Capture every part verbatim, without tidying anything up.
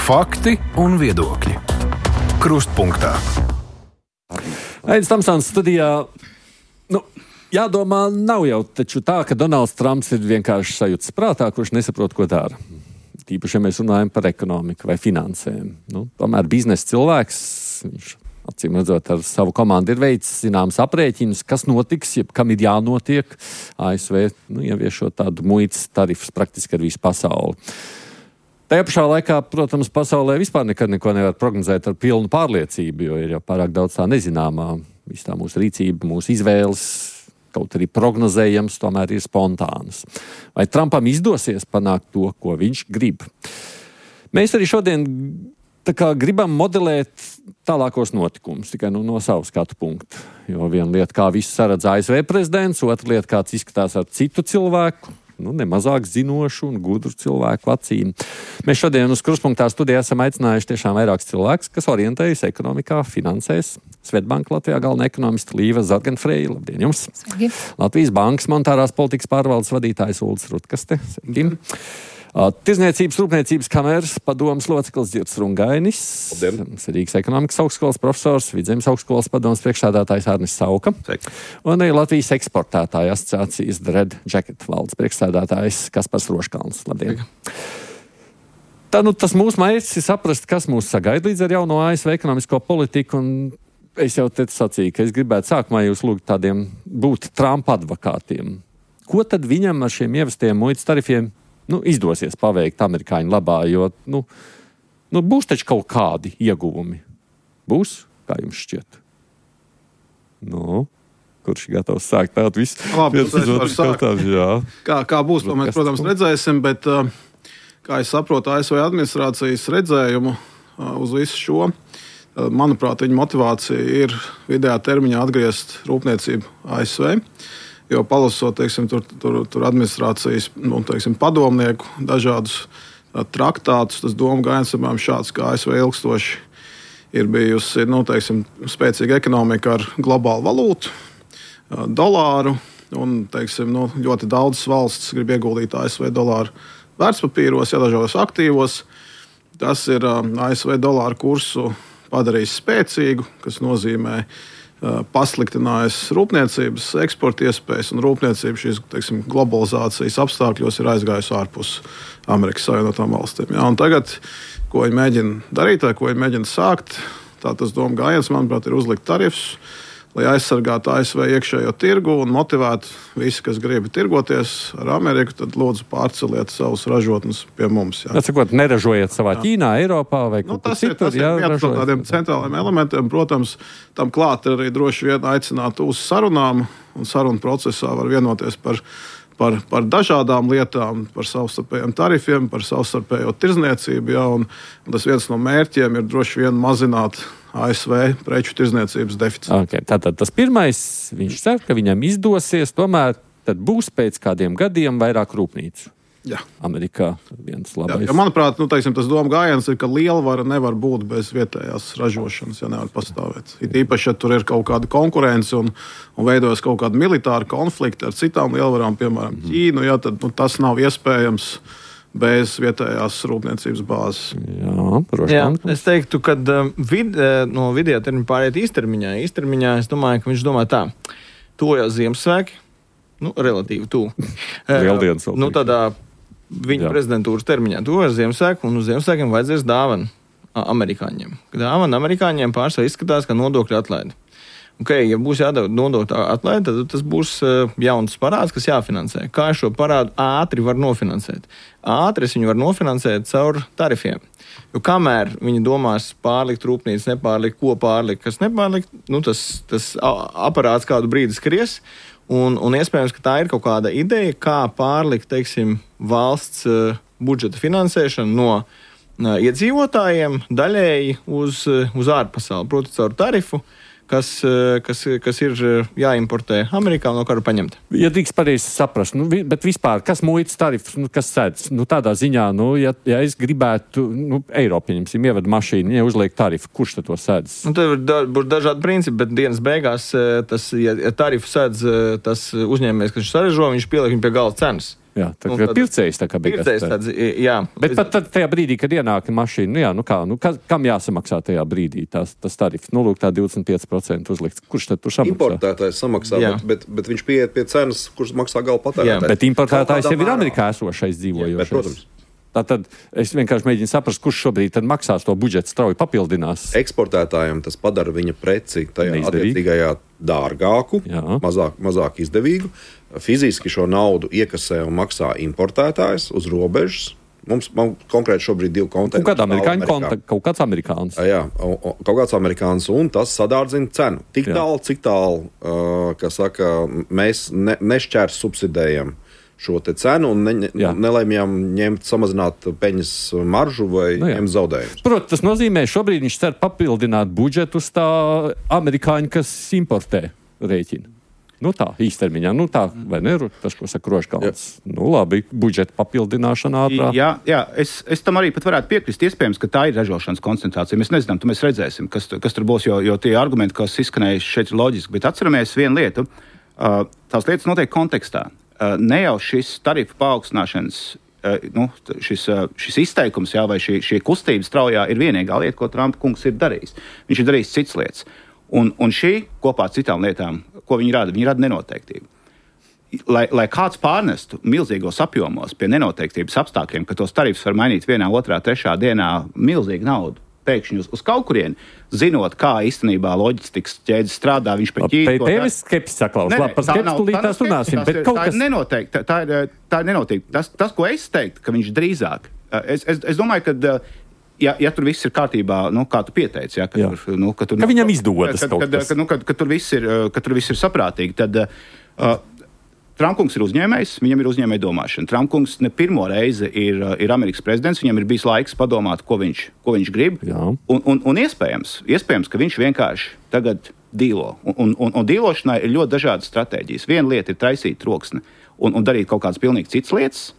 Fakti un viedokļi. Krustpunktā. Aidis Tamsons studijā. Nu, jādomā, nav jau taču tā, ka Donalds Trumps ir vienkārši sajūtas prātā, kurš nesaprot, ko dara. Tīpaši, ja mēs runājam par ekonomiku vai finansēm. Nu, tomēr biznesa cilvēks, viņš acīm redzot ar savu komandu ir veicis zināms aprēķinus, kas notiks, ja kam ir jānotiek. A S V nu, ieviešot tādu muitas tarifus praktiski ar visu pasauli. Tajā pašā laikā, protams, pasaulē vispār nekad neko nevar prognozēt ar pilnu pārliecību, jo ir jau pārāk daudz tā nezināmā. Viss tā mūsu rīcība, mūsu izvēles, kaut arī prognozējams, tomēr ir spontānas. Vai Trumpam izdosies panākt to, ko viņš grib? Mēs arī šodien tā kā gribam modelēt tālākos notikumus, tikai nu, no savu skatu punktu. Jo viena lieta, kā visu saredz A S V prezidents, otra lieta, kāds izskatās ar citu cilvēku, nu, nemazāk zinošu un gudru cilvēku acīm. Mēs šodien uz Krustpunktā studijā esam aicinājuši tiešām vairākus cilvēkus, kas orientējas ekonomikā, finansēs. Svetbanka Latvijā galvenā ekonomista Līva Zarganfreja. Labdien jums! Sveiki. Latvijas Bankas monetārās politikas pārvaldes vadītājs Uldis Rutkaste. Sveiki. Tirzniecības rūpniecības kameras padomas loceklis Dzirds Rungainis, Rīgas ekonomikas augstskolas profesors, Vidzemes augstskolas padomas priekšsēdētājs Arnis Sauka. Sveiki. Un arī Latvijas eksportētāju asociācijas The Red Jacket valdes priekšsēdētājs Kaspars Roškalns. Labdien! Sveiki. Tā, nu, tas mūsu mērķis ir saprast, kas mūs sagaida līdz ar jauno A S V ekonomisko politiku, un es jau te sacīju, ka es gribētu sākumā jūs lūgt tādiem būt Trumpa advokātiem. Ko tad viņam ar šiem ievestiem muitas tarifiem nu, izdosies paveikt amerikāņu labā, jo nu, nu, būs taču kaut kādi ieguvumi. Būs? Kā jums šķiet? Nu, kurš ir gatavs sākt tādu visu? Labi, es varu sākt. Kā, kā būs, to mēs, protams, redzēsim, bet, kā es saprotu A S V administrācijas redzējumu uz visu šo, manuprāt, viņa motivācija ir vidējā termiņā atgriezt rūpniecību A S V. Jo palasot, teiksim, tur, tur, tur administrācijas nu, teiksim, padomnieku dažādus traktātus, tas doma gājiens apmēram šāds, ka A S V ilgstoši ir bijusi nu, teiksim, spēcīga ekonomika ar globālu valūtu, dolāru, un teiksim, nu, ļoti daudzas valstis grib ieguldīt A S V dolāru vērtspapīros, ja dažādos aktīvos. Tas ir A S V dolāru kursu padarījis spēcīgu, kas nozīmē pasliktinājis rūpniecības eksporta iespējas, un rūpniecība šīs teiksim, globalizācijas apstākļos ir aizgājusi ārpus Amerikas Savienotām valstīm. Ja? Un tagad, ko viņi mēģina darīt, vai ko viņi mēģina sākt, tā tas doma gājiens, manuprāt, ir uzlikt tarifus, lai aizsargātu A S V iekšējo tirgu un motivētu visi, kas grib tirgoties ar Ameriku, tad lūdzu pārceliet savus ražotnes pie mums. Jā. Atsakot, neražojiet savā jā. Ķīnā, Eiropā vai nu, kur citur. Tas ir, tas ir viens no tādiem centrāliem elementiem. Protams, tam klāt arī droši vien aicināt uz sarunām, un sarunu procesā var vienoties par, par, par dažādām lietām, par savstarpējiem tarifiem, par savstarpējo tirzniecību. Jā, un, un tas viens no mērķiem ir droši vien mazināt A S V preču tirzniecības deficītu. Okay, tātad tas pirmais, viņš cer, ka viņam izdosies, tomēr tad būs pēc kādiem gadiem vairāk rūpnīcu. Jā. Amerikā viens labais. Jā, ja manuprāt, nu, teiksim, tas doma gājiens ir, ka lielvara nevar būt bez vietējās ražošanas, ja nevar pastāvēt. It īpaši, ja tur ir kaut kāda konkurence un, un veidojas kaut kāda militāra konflikta ar citām lielvarām, piemēram, mm. Ķīnu, ja, tad nu, tas nav iespējams bez vietējās rūpniecības bāzes. Jā, Jā, es teiktu, ka vid, no vidējā termiņa pāriet īstermiņā. Īstermiņā es domāju, ka viņš domā tā, tojās Ziemassvētki, nu, relatīvi tuvu. Lieldienas vēl. Nu, tādā viņa Jā. prezidentūras termiņā tojās Ziemassvētki, un uz Ziemassvētkiem vajadzēs dāvanu amerikāņiem. Dāvana amerikāņiem pārsvarā izskatās, ka nodokļu atlaidi. Okay, ja būs jādod nodokļu atlaide, tad tas būs uh, jauns parāds, kas jāfinansē. Kā šo parādu ātri var nofinansēt? Ātri es viņu var nofinansēt caur tarifiem. Jo kamēr viņi domās pārlikt rūpnīcu, nepārlikt, ko pārlikt, kas nepārlikt, nu tas, tas aparāts kādu brīdi skries, un, un iespējams, ka tā ir kaut kāda ideja, kā pārlikt, teiksim, valsts uh, budžeta finansēšanu no uh, iedzīvotājiem daļēji uz, uh, uz ārpasauli, proti caur tarifu, Kas, kas, kas ir jāimportē Amerikā un no kara paņemt. Ja drīkst pareizi saprast, nu, bet vispār, kas muitas tarifs, nu, kas sēdz? Nu, tādā ziņā, nu, ja, ja es gribētu, nu, Eiropa, pieņemsim, ieved mašīnu, ja uzliek tarifu, kurš tad to sēdz? Nu, tad var da, būt dažādi principi, bet dienas beigās, tas, ja tarifu sēdz tas uzņēmējs, kas viņš saražo, viņš pieliek viņu pie gala cenas. Jā, tā kā pircējs tā kā bija. Pircējs tāds, jā. Bet pat tad tajā brīdī, kad ienāk mašīna, nu jā, nu kā, nu kā, kam jāsamaksā tajā brīdī tās, tas tarifs? Nu, lūk, tā divdesmit pieci procenti uzlikts. Kurš tad tur samaksā? Importētājs samaksā, bet, bet, bet viņš pieiet pie cenas, kurš maksā gala patērētājs. Bet importētājs jau ir Amerikā esošais dzīvojošais. Jā, bet, protams. Tātad es vienkārši mēģinu saprast, kurš šobrīd tad maksās to budžetu strauji papildinās. Eksportētājiem tas padara viņa preci tajā Neizdevīgi. Attiecīgajā dārgāku, mazāk, mazāk izdevīgu. Fiziski šo naudu iekasē un maksā importētājs uz robežas. Mums man, konkrēti šobrīd divi kontinenti. Kaut, amerikāņu konta, kaut kāds amerikāns. Jā, kaut kāds amerikāns, un tas sadārdzina cenu. Tik tālu, cik tālu, uh, kā saka, mēs ne, nešķērs subsidējam šo te cenu un ne, nelēmjam ņemt, samazināt peļņas maržu vai nu ņemt zaudējumus. Protams, tas nozīmē, šobrīd viņš cer papildināt budžetu uz tā amerikāņu, kas importē rēķinu. Nu tā, īstermiņā, nu tā, vai ne, tas, ko saka Rožkalns. Nu labi, budžeta papildināšana ātrā. Jā, jā es, es tam arī pat varētu piekrist. Iespējams, ka tā ir ražošanas koncentrācija. Mēs nezinām, tu mēs redzēsim, kas, kas tur būs, jo, jo tie argumenti, kas izskanējuši šeit ir loģiski. Bet atceramies vienu lietu, uh, tās lietas notiek kontekstā. Uh, ne jau šis tarifu paaugstināšanas, uh, nu, šis, uh, šis izteikums, jā, vai šī, šī kustība straujā ir vienīgā lieta, ko Trumpa kungs ir darījis. Viņš ir darījis citas lietas. Un, un šī kopā ar citām lietām, ko viņi rada, viņi rada nenoteiktību. Lai, lai kāds pārnestu milzīgos apjomos pie nenoteiktības apstākļiem, ka tos tarifus var mainīt vienā, otrā, trešā dienā milzīgu naudu, pēkšņi uz, uz kaut kurieni, zinot, kā īstenībā loģistikas ķēdes strādā, viņš pēc ķīri... Tevis skepsis saklaus, labi, par skepsis tūlītās runāsim, bet kaut kas... Tā ir nenoteikti, tā ir, tā ir nenoteikti. Tas, tas, ko es teiktu, ka viņš drīzāk... Es, es, es domāju, ka... Ja, ja tur viss ir kārtībā, nu, kā tu pieteici, ja, ka, jā. Tur, nu, ka, tur, ka viņam izdodas kad, kaut kad, kas. Ka, nu, kad, kad, tur viss ir, ka tur viss ir saprātīgi, tad uh, Trumpkungs ir uzņēmējs, viņam ir uzņēmēja domāšana. Trumpkungs ne pirmo reizi ir, ir Amerikas prezidents, viņam ir bijis laiks padomāt, ko viņš, ko viņš grib. Un, un, un iespējams, iespējams, ka viņš vienkārši tagad dīlo. Un, un, un, un dīlošanai ir ļoti dažādas stratēģijas. Viena lieta ir taisīt troksni un, un darīt kaut kādas pilnīgi citas lietas.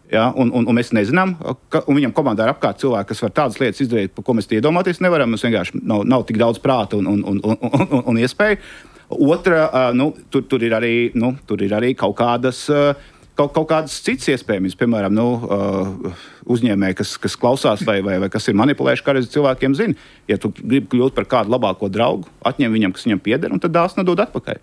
Ja, un, un, un mēs nezinām, ka viņam komandā ir apkārt cilvēki, kas var tādas lietas izdarīt, par ko mēs iedomāties nevaram. Mums vienkārši nav, nav tik daudz prāta un, un, un, un, un, un iespēju. Otra, nu, tur, tur, ir arī, nu, tur ir arī kaut kādas, kaut, kaut kādas citas iespējas. Piemēram, nu, uzņēmēji, kas, kas klausās vai, vai, vai kas ir manipulējuši, kā reiz cilvēkiem zina. Ja tu gribi kļūt par kādu labāko draugu, atņem viņam, kas viņam pieder, un tad dāsna nedod atpakaļ.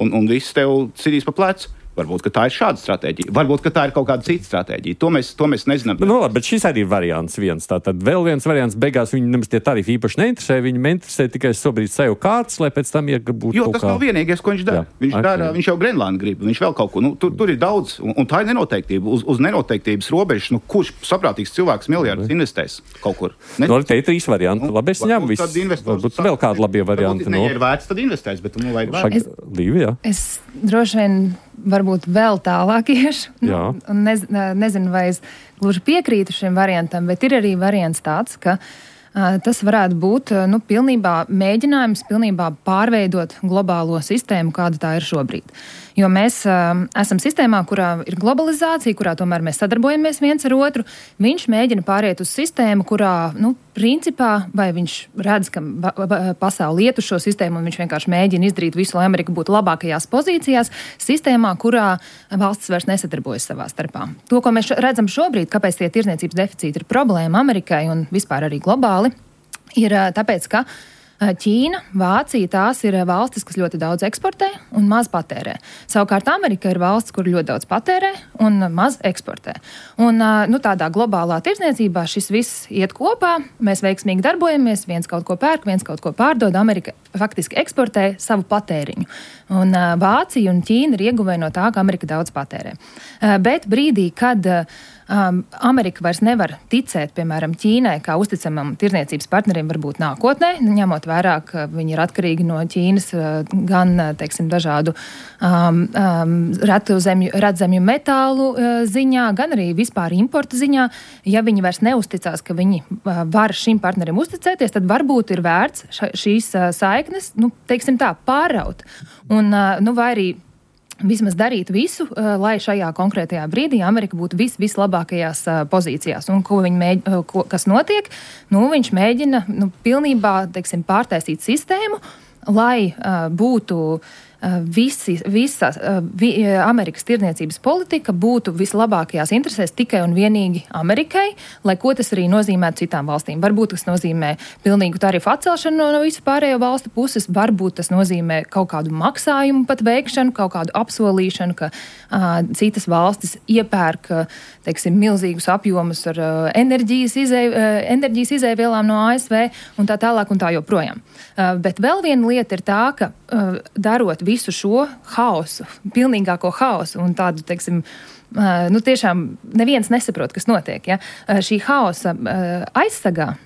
Un, un viss tev sidīs pa plecu. Varbūt, ka tā ir šāda stratēģija. Varbūt, ka tā ir kaut kāda cita stratēģija. To mēs, to mēs nezinām. Nu, labi, bet šis arī ir variants viens. Tātad vēl viens variants. Beigās viņi nemaz tie tarifi īpaši neinteresē. Viņi interesē tikai šobrīd sev kārtas, lai pēc tam iegūtu. Jo tas kā... nav vienīgais, ko viņš dara. Jā, viņš, okay. dara viņš jau Grenlandu grib. Viņš vēl kaut ko. Nu, tur, tur ir daudz. Un, un tā ir nenoteiktība. Uz, uz nenoteiktības robežas, nu, kurš saprātīgs cilvēks miljardus investēs kaut kur? Ne? Nu, te ir trīs varianti. Nu, labi, es ņemu visu. Varbūt vēl kādi labie varianti. Ne, ja ir vērts, tad investēs, bet nu vajag vērts. Es, Līvi, jā. Es droši vien varbūt vēl tālāk iešu. Nu, nez, nezinu, vai es gluži piekrītu šim variantam, bet ir arī variants tāds, ka uh, tas varētu būt uh, nu, pilnībā mēģinājums pilnībā pārveidot globālo sistēmu, kāda tā ir šobrīd. Jo mēs uh, esam sistēmā, kurā ir globalizācija, kurā tomēr mēs sadarbojamies viens ar otru. Viņš mēģina pāriet uz sistēmu, kurā, nu, principā, vai viņš redz, ka pasauli iet uz šo sistēmu, un viņš vienkārši mēģina izdarīt visu, lai Amerika būtu labākajās pozīcijās, sistēmā, kurā valstis vairs nesadarbojas savā starpā. To, ko mēs redzam šobrīd, kāpēc tie tirdzniecības deficīti ir problēma Amerikai un vispār arī globāli, ir tāpēc, ka Ķīna, Vācija, tās ir valstis, kas ļoti daudz eksportē un maz patērē. Savukārt Amerika ir valsts, kur ļoti daudz patērē un maz eksportē. Un nu, tādā globālā tirdzniecībā šis viss iet kopā, mēs veiksmīgi darbojamies, viens kaut ko pērk, viens kaut ko pārdod, Amerika faktiski eksportē savu patēriņu. Un Vācija un Ķīna ir ieguvēji no tā, ka Amerika daudz patērē. Bet brīdī, kad Um, Amerika vairs nevar ticēt, piemēram, Ķīnai, kā uzticamam tirdzniecības partnerim varbūt nākotnē, ņemot vērā, ka viņi ir atkarīgi no Ķīnas gan, teiksim, dažādu um, um, retu zemju, redzemju metālu uh, ziņā, gan arī vispār importa ziņā. Ja viņi vairs neusticās, ka viņi uh, var šim partnerim uzticēties, tad varbūt ir vērts ša, šīs uh, saiknes, nu, teiksim tā, pāraut. Un, uh, nu, vai arī vismaz darīt visu, lai šajā konkrētajā brīdī Amerika būtu vis, vislabākajās pozīcijās. Un ko viņi mēģina, ko, kas notiek? Nu, viņš mēģina nu, pilnībā, teiksim, pārtaisīt sistēmu, lai uh, būtu visi, visa vi, Amerikas tirdzniecības politika būtu vislabākajās interesēs tikai un vienīgi Amerikai, lai ko tas arī nozīmētu citām valstīm. Varbūt tas nozīmē pilnīgu tarifu atcelšanu no, no visu pārējo valstu puses, varbūt tas nozīmē kaut kādu maksājumu pat veikšanu, kaut kādu apsolīšanu, ka uh, citas valstis iepērk, teiksim, milzīgus apjomus ar uh, enerģijas, izē, uh, enerģijas izēvielām no A S V un tā tālāk un tā joprojām. Uh, bet vēl viena lieta ir tā, ka uh, darot visu šo haosu, pilnīgāko haosu un tādu, teiksim, uh, nu tiešām neviens nesaprot, kas notiek. Ja? Uh, šī haosa uh, aizsargā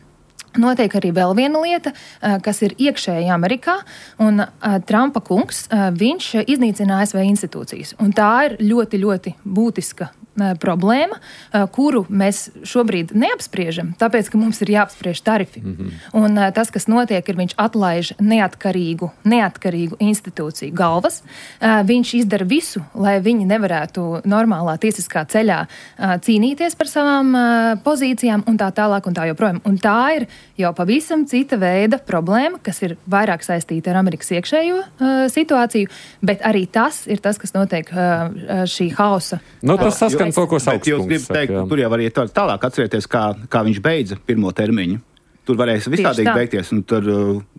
notiek arī vēl viena lieta, uh, kas ir iekšēji Amerikā, un uh, Trumpa kungs, uh, viņš iznīcina A S V institūcijas. Un tā ir ļoti, ļoti būtiska uh, problēma, uh, kuru mēs šobrīd neapspriežam, tāpēc, ka mums ir jāapspriež tarifi. Mm-hmm. Un uh, tas, kas notiek, ir viņš atlaiž neatkarīgu, neatkarīgu institūciju galvas. Uh, viņš izdara visu, lai viņi nevarētu normālā tiesiskā ceļā uh, cīnīties par savām uh, pozīcijām un tā tālāk un tā joprojām. Un tā ir jau pavisam cita veida problēma, kas ir vairāk saistīta ar Amerikas iekšējo uh, situāciju, bet arī tas ir tas, kas notiek uh, šī hausa. Nu, tas saskan to, ko Sauks kungs kungs saka. Teikt, tur jau arī tālāk atcerieties, kā, kā viņš beidza pirmo termiņu. Tur varēs visādīgi beigties, un tur,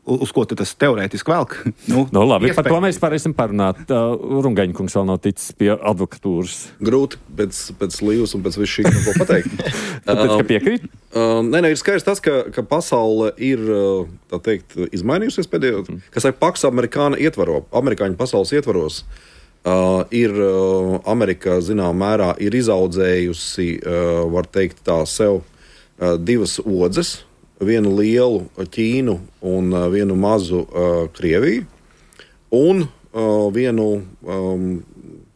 uz ko tas teorētiski velk. Nu, no, labi, iespēj... par to mēs varēsim parunāt. Uh, Rungaņa kungs vēl nav ticis pie advokatūras. Grūti pēc, pēc Līvas un pēc visu šī, ko pateikt. Tāpēc, ka piekrīt? Uh, nē, nē, ir skaidrs tas, ka, ka pasaule ir, tā teikt, izmainījusies pēdējo, mm. kas ir Pax Amerikāna ietvaro, amerikāņu pasaules ietvaros. Uh, ir uh, Amerika, zinām mērā, ir izaudzējusi, uh, var teikt tā, sev uh, divas odzes. Vienu lielu Ķīnu un uh, vienu mazu uh, Krieviju, un uh, vienu um,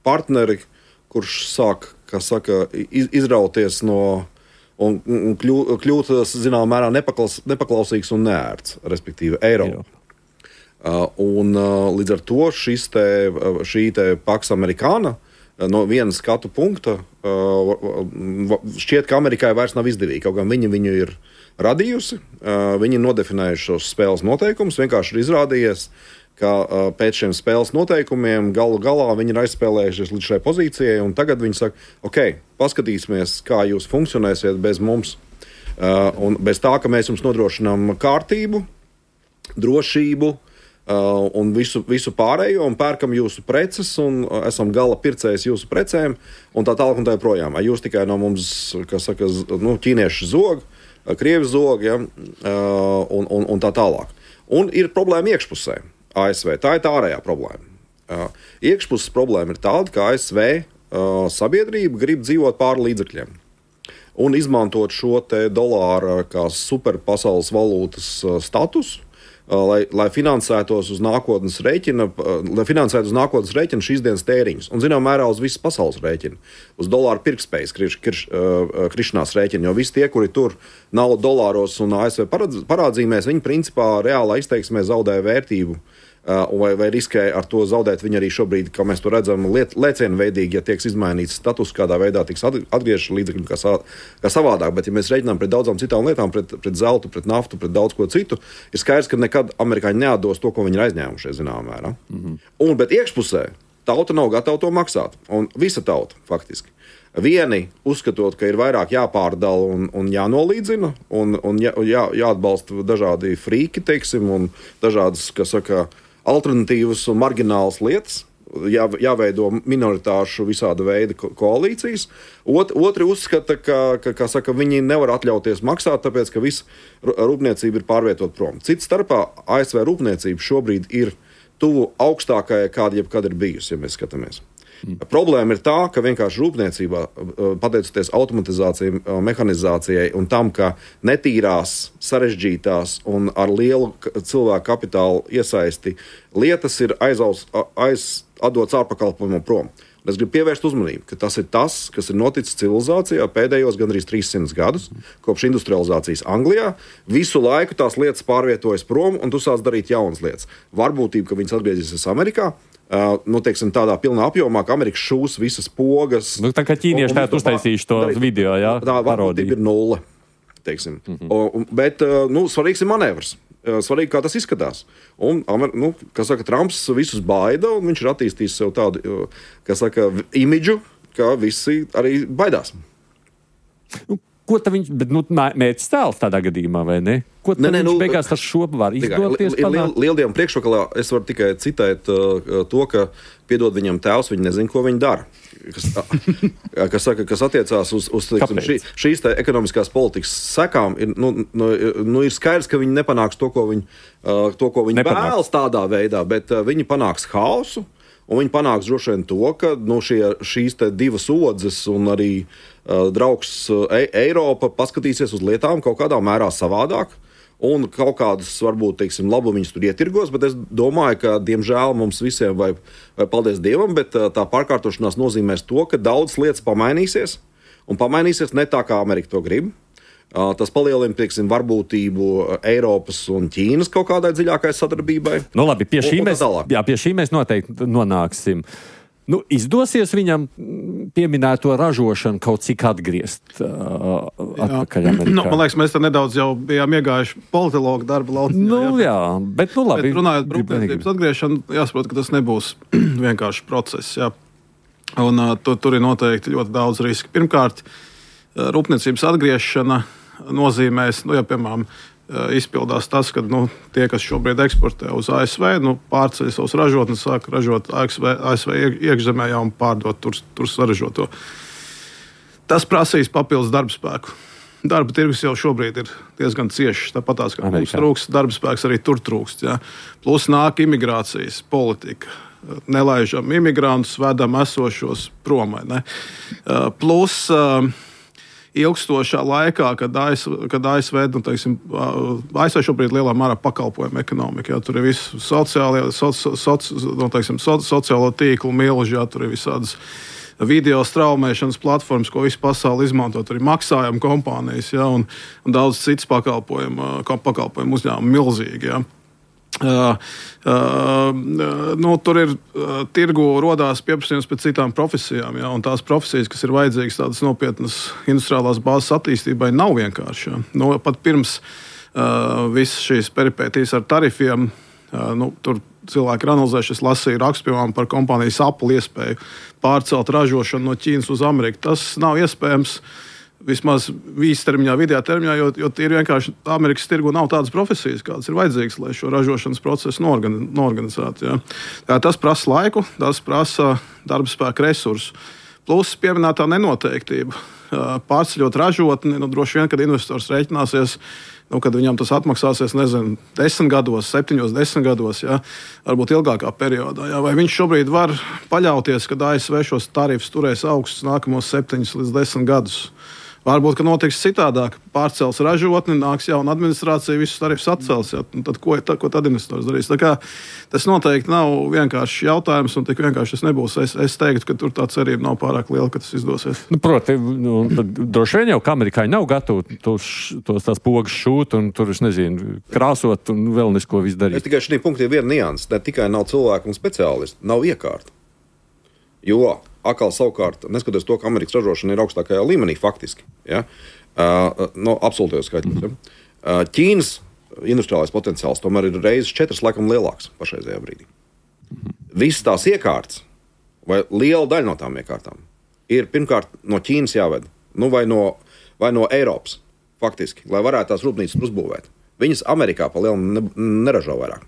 partneri, kurš sāk, kā saka, iz, izrauties no un, un kļūt, kļūt zinām mērā nepaklaus, nepaklausīgs un neērts, respektīvi Eiropa. Uh, un uh, līdz ar to šis te, šī te Pax Amerikāna no viena skatu punkta uh, šķiet, ka Amerikai vairs nav izdevīgi, kaut gan viņi viņu ir radījusi, uh, viņi ir nodefinējuši šos spēles noteikumus, vienkārši ir izrādījies, ka uh, pēc šiem spēles noteikumiem galu galā viņi ir aizspēlējušies līdz šai pozīcijai, un tagad viņi saka, ok, paskatīsimies, kā jūs funkcionēsiet bez mums, uh, un bez tā, ka mēs jums nodrošinām kārtību, drošību, Uh, un visu, visu pārējo, un pērkam jūsu preces, un uh, esam gala pircējs jūsu precēm, un tā tālāk un tā joprojām. Jūs tikai no mums, kā saka, nu, ķīnieši zog, krievi zog, ja, uh, un, un, un tā tālāk. Un ir problēma iekšpusē A S V. Tā ir tā ārējā problēma. Uh, iekšpuses problēma ir tāda, ka A S V uh, sabiedrība grib dzīvot pāri līdzekļiem un izmantot šo te dolāra kā superpasaules valūtas uh, statusu, Lai, lai finansētos uz nākotnes rēķina, lai finansētu uz nākotnes rēķina šīs dienas tēriņus. Un, zinām, mērā uz visas pasaules rēķina. Uz dolāru pirktspējas kriš, kriš, uh, krišanās rēķina. Jo visi tie, kuri tur naudu dolāros un A S V parādzīmēs, viņi principā reālā izteiksmē zaudē vērtību. Uh, vai, vai riskē ar to zaudēt viņi arī šobrīd, kā mēs to redzam, liet, lēcienveidīgi, ja tiek izmainīts status, kādā veidā tiks atgriežas līdzekļi kā, sa, kā savādāk. Bet, ja mēs reiķinām pret daudzām citām lietām, pret, pret zeltu, pret naftu, pret daudz ko citu, ir skaidrs, ka nekad amerikāņi neatdos to, ko viņi ir aizņēmušies, zināmā mērā. Mm-hmm. Un, bet iekšpusē tauta nav gatava to maksāt. Un visa tauta, faktiski. Vieni uzskatot, ka ir vairāk jāpārdala un, un jānolīdzina, un, un jā, jā, jāatbalsta dažādi frīki, teiksim, un dažādas, kas saka, alternatīvas un marginālas lietas, jā, jāveido minoritāšu visāda veida ko- koalīcijas. Ot, otri uzskata, ka, ka, ka saka, viņi nevar atļauties maksāt, tāpēc, ka visa rūpniecība ir pārvietot prom. Cits starpā A S V rūpniecība šobrīd ir tuvu augstākajai, kāda jebkad ir bijusi, ja mēs skatāmies. Mm. Problēma ir tā, ka vienkārši rūpniecībā, pateicoties automatizācijai, mehanizācijai un tam, ka netīrās, sarežģītās un ar lielu cilvēku kapitālu iesaisti lietas ir aizaus, aiz, atdots ārpakalpojumam prom. Es gribu pievērst uzmanību, ka tas ir tas, kas ir noticis civilizācijā pēdējos gandrīz trīssimtus gadus, kopš industrializācijas Anglijā. Visu laiku tās lietas pārvietojas prom, un tu sāc darīt jaunas lietas. Varbūtība, ka viņas atgriezīsies Amerikā, Uh, nu, teiksim, tādā pilnā apjomā, ka Amerika šūs visas pogas. Nu, tā kā ķīnieši tagad uztaisījuši to darīt, video, jā, tā varbūtība ir nulle, teiksim. Mm-hmm. O, bet, uh, nu, svarīgs ir manevrs. Svarīgi, kā tas izskatās. Un, nu, kā saka, Trumps visus baida, un viņš ir attīstījis sev tādu, kā saka, imidžu, ka visi arī baidās. Nu, ko tad viņš, bet nu, mērķis tēls tādā gadījumā, vai ne? Ko tad ne, ne, viņš nu, beigās ar šo var izdoties? Liel, liel, Lieldienu priekšvakalā es varu tikai citēt uh, to, ka piedod viņam tēvs, viņi nezin, ko viņi dara. Kas, kas, saka, kas attiecās uz, uz teiksim, šī, šīs te ekonomiskās politikas sekām, ir, nu, nu, nu, ir skaidrs, ka viņi nepanāks to, ko viņi, uh, to, ko viņi vēlas tādā veidā, bet uh, viņi panāks haosu, un viņi panāks droši vien to, ka nu, šie, šīs te divas odzes un arī uh, draugs uh, Eiropa paskatīsies uz lietām kaut kādā mērā savādāk. Un kaut kādus, varbūt, teiksim, labumiņus tur ietirgos, bet es domāju, ka, diemžēl, mums visiem, vai, vai paldies Dievam, bet tā pārkārtošanās nozīmēs to, ka daudz lietas pamainīsies, un pamainīsies ne tā, kā Amerika to grib. Tas palielina, teiksim, varbūtību Eiropas un Ķīnas kaut kādai dziļākai sadarbībai. Nu labi, pie šī, un, mēs, jā, pie šī mēs noteikti nonāksim. Nu, izdosies viņam pieminēto ražošanu kaut cik atgriezt uh, atpakaļ Amerikā? Nu, man liekas, mēs te nedaudz jau bijām iegājuši politologu darba lauciņā. Nu, jā, jā, bet nu labi. Bet runājot par rūpniecības atgriešanu, jāsaprot, ka tas nebūs vienkārši process. Jā. Un uh, tur, tur ir noteikti ļoti daudz riski. Pirmkārt, uh, rūpniecības atgriešana nozīmēs, nu, ja, piemēram, izpildās tas, ka nu, tie, kas šobrīd eksportē uz A S V, nu, pārceļ savus ražotnes, sāk ražot A S V, A S V iekšzemē jau un pārdot tur, tur saražoto. Tas prasīs papildus darba spēku. Darba tirgus jau šobrīd ir diezgan ciešs, tāpatās, ka mums trūkst darba spēks, arī tur trūkst. Jā. Plus nāk imigrācijas politika. Nelaižam imigrantus, vedam esošos prom. Ne? Plus ilgstošā laikā, kad A S V, kad A S V, nu, teiksim, A S V šobrīd lielā mērā pakalpojuma ekonomika. Jā, tur ir visu sociālie, soci, soci, nu, teiksim, so, sociālo tīklu milži, jā, tur ir visādas video straumēšanas platformas, ko visu pasauli izmanto. Tur ir maksājuma kompānijas, jā, un, un daudz citas pakalpojuma, pakalpojuma uzņēmumi milzīgi. Jā. Uh, uh, nu, tur ir uh, tirgu rodās pieprasījums pēc citām profesijām, ja, un tās profesijas, kas ir vajadzīgas tādas nopietnas industriālās bāzes attīstībai, nav vienkārši. Ja. Nu, pat pirms uh, visas šīs peripētīs ar tarifiem, uh, nu, tur cilvēki ir analizējuši, es lasīju rakstu, piemēram, par kompānijas Apple iespēju pārcelt ražošanu no Ķīnas uz Ameriku. Tas nav iespējams vismaz īstermiņā, vidējā termiņā, jo, jo ir vienkārši Amerikas tirgu nav tādas profesijas, kādas ir vajadzīgas, lai šo ražošanas procesu norgan, norganizētu. Ja. Tā, tas prasa laiku, tas prasa darba spēka resursus. Plus pieminētā nenoteiktība. Pārceļot ražotni, nu, droši vien, kad investors rēķināsies, nu, kad viņam tas atmaksāsies, nezinu, desmit gados, septiņos, desmit gados, ja, varbūt ilgākā periodā. Ja. Vai viņš šobrīd var paļauties, kad A S V šos tarifus turēs augstus nākamos septiņus līdz desmit gadus? Varbūt, ka notiks citādāk. Pārcels ražotni, nāks jauna administrācija, visus tarifus atcels. Ja? Tad, ko, tad, ko tad investors darīs? Tā kā, tas noteikti nav vienkārši jautājums, un tik vienkārši tas nebūs. Es, es teiktu, ka tur tā cerība nav pārāk liela, ka tas izdosies. Nu, proti, nu, droši vien jau, ka amerikāņi nav gatavi tos, tos tās pogas šūt un tur, es nezinu, krāsot un vēl nesko visu darīt. Es tikai šī punkta ir viena nianses. Ne tikai nav cilvēku un speciālisti, nav iekārta. Jo atkal savukārt, neskatoties to, ka Amerikas ražošana ir augstākajā līmenī faktiski, ja, uh, no absolūtajos skaitļos, ja, uh, Ķīnas industriālais potenciāls tomēr ir reizes četras laikam lielāks pašreizējā brīdī. Visas tās iekārtas, vai liela daļa no tām iekārtām, ir pirmkārt no Ķīnas jāved, nu vai no, vai no Eiropas faktiski, lai varētu tās rūpnīcas uzbūvēt. Viņas Amerikā pa lielu ne, neražo vairāk.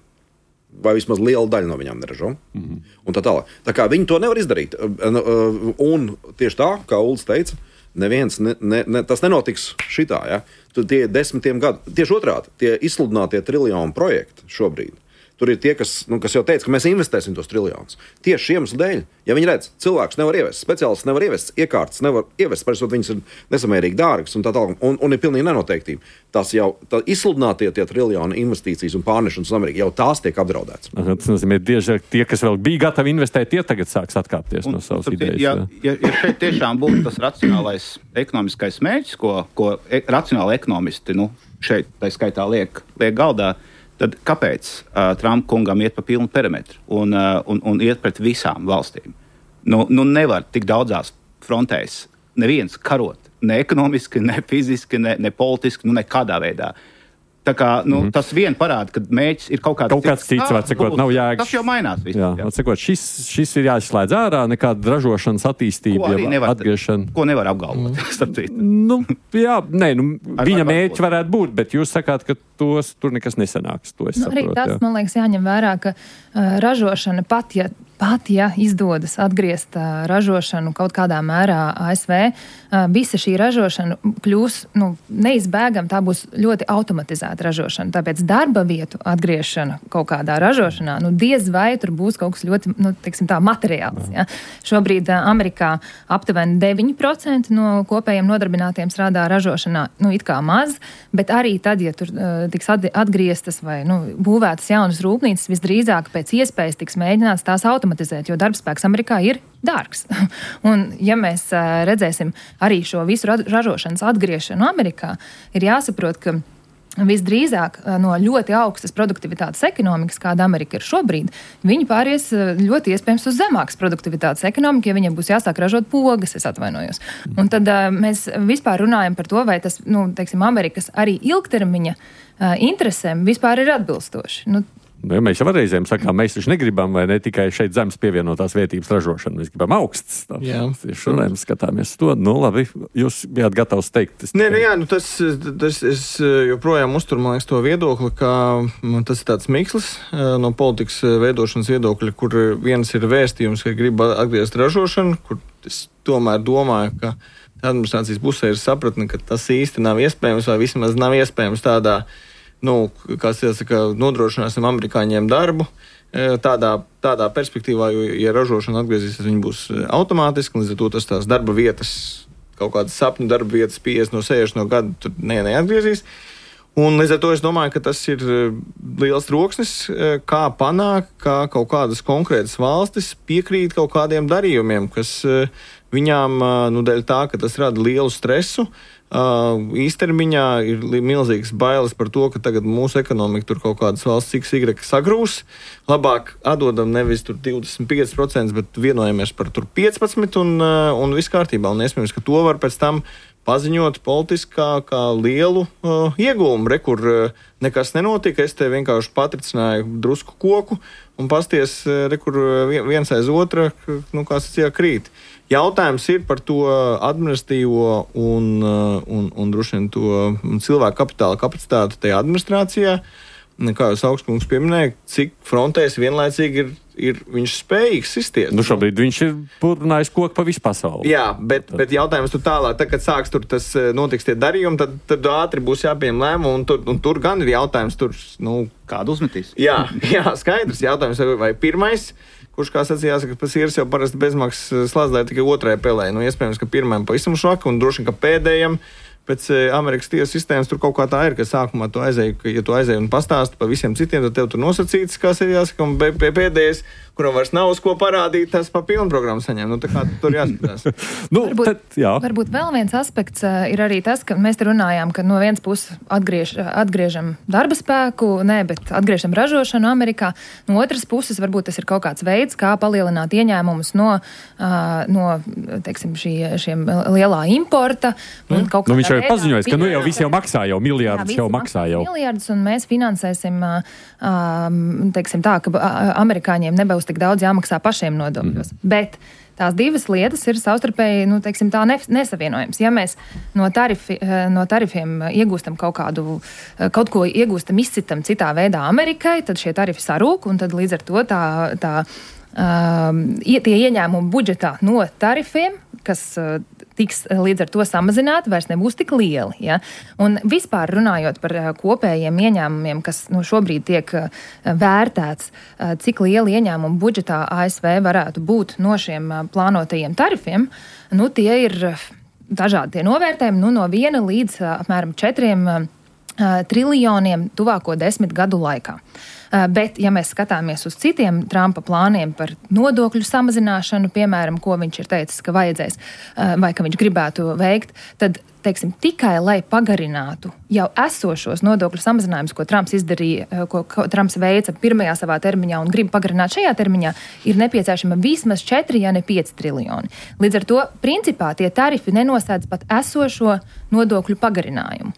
Vai vismaz liela daļa no viņām neražo. Mm-hmm. Un tā tālāk. Tā kā viņi to nevar izdarīt. Un tieši tā, kā Uldis teica, neviens, ne, ne, ne, tas nenotiks šitā. Ja? Tie desmitiem gadu, tieši otrādi, tie izsludinātie triljonu projekti šobrīd. Tur ir tie, kas, nu, kas jau teica, ka mēs investēsim tos triljonus. Tieši šiem iemeslu dēļ, ja viņi redz, cilvēks nevar ievest, speciālists nevar ievest, iekārtas nevar ievest, parasti viņas ir nesamērīgi dārgas un tā tālāk, un, un ir pilnīgi nenoteiktība. Tas jau tā izsludinātie tie triljoni investīcijas un pārnešanas uz Ameriku, jau tās tiek apdraudētas. Tas nozīmē, tieši tie, kas vēl bija gatavi investēt, tie tagad sāks atkāpties un, no savas idejas. Ja, ja, ja šeit tiešām būtu tas racionālais ekonomiskais mērķis, ko, ko e, racionāli ekonomisti nu, šeit tā skaitā liek, liek galdā, tad kāpēc uh, Trumpa kungam iet pa pilnu perimetru un, uh, un, un iet pret visām valstīm? Nu, nu nevar tik daudzās frontēs neviens karot, ne ekonomiski, ne fiziski, ne, ne politiski, nu nekādā veidā. Tā kā, nu, mm-hmm. tas vien parāda, ka mēģis ir kaut kāds kaut cits. Kaut kāds cits, var cikot, nav jēgas. Tas jau mainās. Viss, jā, jā. Cikot, šis, šis ir jāizslēdz ārā, nekāda ražošanas attīstība, ko nevar, atgriešana. Ko nevar apgalvot, mm. starp citu. Nu, jā, nē, nu, viņa mērķi varētu būt, bet jūs sakāt, ka tos tur nekas nesanāks. To es nu, saprotu. Arī tas, jā. man liekas, jāņem vērā, ka uh, ražošana pat, ja Pat, ja izdodas atgriezt uh, ražošanu kaut kādā mērā A S V, uh, visa šī ražošana kļūs nu, neizbēgam, tā būs ļoti automatizēta ražošana. Tāpēc darba vietu atgriešana kaut kādā ražošanā, nu diez vai tur būs kaut kas ļoti, nu, teiksim tā, materiāls. Ja? Šobrīd uh, Amerikā aptuveni deviņi procenti no kopējiem nodarbinātiem strādā ražošanā, nu it kā maz, bet arī tad, ja tur uh, tiks atgrieztas vai nu, būvētas jaunas rūpnīcas, visdrīzāk pēc iespējas tiks mēģināts tās automatizēt. Jo darbspēks Amerikā ir dārgs. Un, ja mēs uh, redzēsim arī šo visu ražošanas atgriešanu Amerikā, ir jāsaprot, ka visdrīzāk uh, no ļoti augstas produktivitātes ekonomikas, kāda Amerika ir šobrīd, viņi pāries uh, ļoti iespējams uz zemākas produktivitātes ekonomiku, ja viņiem būs jāsāk ražot pogas, es atvainojos. Un tad uh, mēs vispār runājam par to, vai tas, nu, teiksim, Amerikas arī ilgtermiņa uh, interesēm vispār ir atbilstoši. Nu, Nu, ja mēs jau reizēm sakām, mēs taču negribam, vai ne tikai šeit zemes pievienotās vērtības ražošanu, mēs gribam augsts. Šodien skatāmies to. Nu, labi, jūs bijāt gatavs teikt. Es... Nē, nu, jā, nu, tas, tas es joprojām uzturu, man liekas, to viedokli, ka tas ir tāds mikslis no politikas veidošanas viedokļa, kur viens ir vēstījums, ka grib atgriezt ražošanu, kur es tomēr domāju, ka administrācijas pusē ir sapratne, ka tas īsti nav iespējams, vai vismaz nav iespējams tādā Nu, kā jāsaka, nodrošināsim amerikāņiem darbu tādā, tādā perspektīvā, jo, ja ražošana atgriezīsies, viņi būs automātiski, līdz ar to tas tās darba vietas, kaut kādas sapņu darba vietas piecdesmit no sešdesmit no gada, tur ne, neatgriezīs. Un līdz ar to es domāju, ka tas ir liels troksnis, kā panākt, kā kaut kādas konkrētas valstis piekrīt kaut kādiem darījumiem, kas viņām, nu, dēļ tā, ka tas rada lielu stresu, Uh, īstermiņā ir milzīgas bailes par to, ka tagad mūsu ekonomika tur kaut kādas valsts X Y sagrūs. Labāk atdodam nevis tur divdesmit pieci procenti, bet vienojamies par tur piecpadsmit un, uh, un viss kārtībā. Un iespējams, ka to var pēc tam paziņot politiskā kā lielu uh, iegūmu. Re, kur uh, nekas nenotika, es te vienkārši patricināju drusku koku un pasties, uh, re, kur viens aiz otra, nu, kā sacījā, krīt. Jautājums ir par to administratīvo un, un, un droši vien to cilvēku kapitāla kapacitāti tajā administrācijā. Kā jūs augstkungs pieminēja, cik frontēs vienlaicīgi ir, ir viņš spējīgs izties. Nu šobrīd viņš ir purnājis koku pa visu pasauli. Jā, bet, bet jautājums tur tālāk, tad, kad sāks tur tas notiks tie darījumi, tad, tad ātri būs jāpieņem lēmumu, un tur, un tur gan ir jautājums, tur, nu... Kādu uzmetīs? Jā, jā, skaidrs jautājums, vai pirmais... Kurš, kā sacījās, ka pēc īres jau parasti bezmaksas slāzdē tikai otrai pelē. Nu, iespējams, ka pirmajam pavisam švaki un droši, ka pēdējam pēc Amerikas tiesu sistēmas tur kaut kā tā ir, ka sākumā tu aizēji, ka, ja tu aizēji un pastāsti pa visiem citiem, tad tev tur nosacīts, kā sacījās, ka un pēdējais, kuram vairs nav uz ko parādīt, tas pa pilnu programmu saņem. Nu, tā kā tur jāskatās. nu, varbūt, tad, jā. varbūt vēl viens aspekts uh, ir arī tas, ka mēs te runājām, ka no vienas puses atgriež, atgriežam darba spēku, ne, bet atgriežam ražošanu Amerikā. No otras puses varbūt tas ir kaut kāds veids, kā palielināt ieņēmumus no, uh, no teiksim, šī, šiem lielā importa. Un mm. nu, viņš jau ir paziņojis, ka nu jau visi jau maksā jau, miljārdus jau maksā jau. Miljārdus, un mēs finansēsim, uh, teiksim tā, ka amerikāņiem nebūs tik daudz jāmaksā pašiem nodokļos. Mm. Bet tās divas lietas ir savstarpēji, nu, teiksim, tā nesavienojams. Ja mēs no, tarifi, no tarifiem iegūstam kaut kādu, kaut ko iegūstam, izcitam citā veidā Amerikai, tad šie tarifi sarūk, un tad līdz ar to tā, tā um, tie ieņēmumi budžetā no tarifiem, kas uh, tiks līdz ar to samazināti, vairs nebūs tik lieli. Ja? Un vispār runājot par kopējiem ieņēmumiem, kas nu, šobrīd tiek vērtēts, cik lieli ieņēmumi budžetā A S V varētu būt no šiem plānotajiem tarifiem, nu, tie ir dažādi tie novērtējumi, nu, no viena līdz apmēram četriem triljoniem tuvāko desmit gadu laikā. Bet, ja mēs skatāmies uz citiem Trumpa plāniem par nodokļu samazināšanu, piemēram, ko viņš ir teicis, ka vajadzēs vai ka viņš gribētu veikt, tad teiksim, tikai lai pagarinātu jau esošos nodokļu samazinājumus, ko Trumps izdarīja, ko, ko Trumps veica pirmajā savā termiņā un grib pagarināt šajā termiņā, ir nepieciešama vismaz četri, ja ne pieci triljoni. Līdz ar to, principā, tie tarifi nenosēdz pat esošo nodokļu pagarinājumu.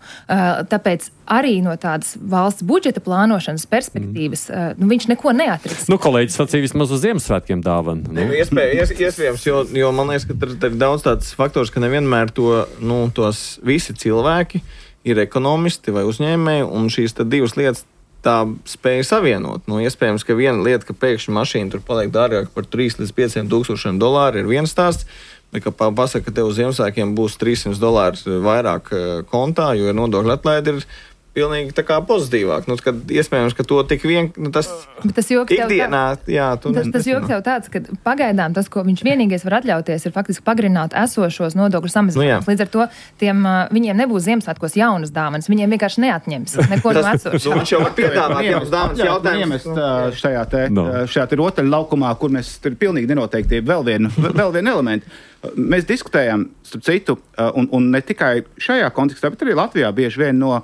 Tāpēc arī no tādas valsts budžeta plānošanas perspektīvas, mm. nu, viņš neko neatriks. Nu, kolēģis sacīja vismaz uz Ziemassvētkiem dāvanu. Nu. Iespējams, iespējams, jo, jo man liekas, ka tur ir daudz tāds faktors, ka nevienmēr to, nu, tos visi cilvēki ir ekonomisti vai uzņēmēji, un šīs tad divas lietas tā spēja savienot. Nu, iespējams, ka viena lieta, ka pēkšņi mašīna tur paliek dārgāk par trīs līdz pieciem tūkstošiem dolāru, ir viens stāsts, bet, ka pasaka, ka tev uz Ziemassvētkiem būs trīssimti dolāri vairāk kontā, jo ir nodokļu atlaide, ir pilnīgi tā kā pozitīvāk. Nu, kad iespējams, ka to tik vien, nu, tas, tas ikdienā, jā, tu tas, tas joks jau tāds, ka pagaidām tas, ko viņš vienīgais var atļauties, ir faktiski pagarināt esošos nodokļu samazinājumus. Nu, līdz ar to tiem, viņiem nebūs Ziemassvētkos jaunas dāvanas, viņiem vienkārši neatņems neko no esošā. Viņš jau var piedāvāt jaunas dāvanas jautājums. Šajā te, no. šajā te rotaļu laukumā, kur mēs tur pilnīgi nenoteiktība vēl vienu, vēl vienu elementu. Mēs diskutējam, starp citu, un, un ne tikai šajā kontekstā, bet arī Latvijā bieži vien no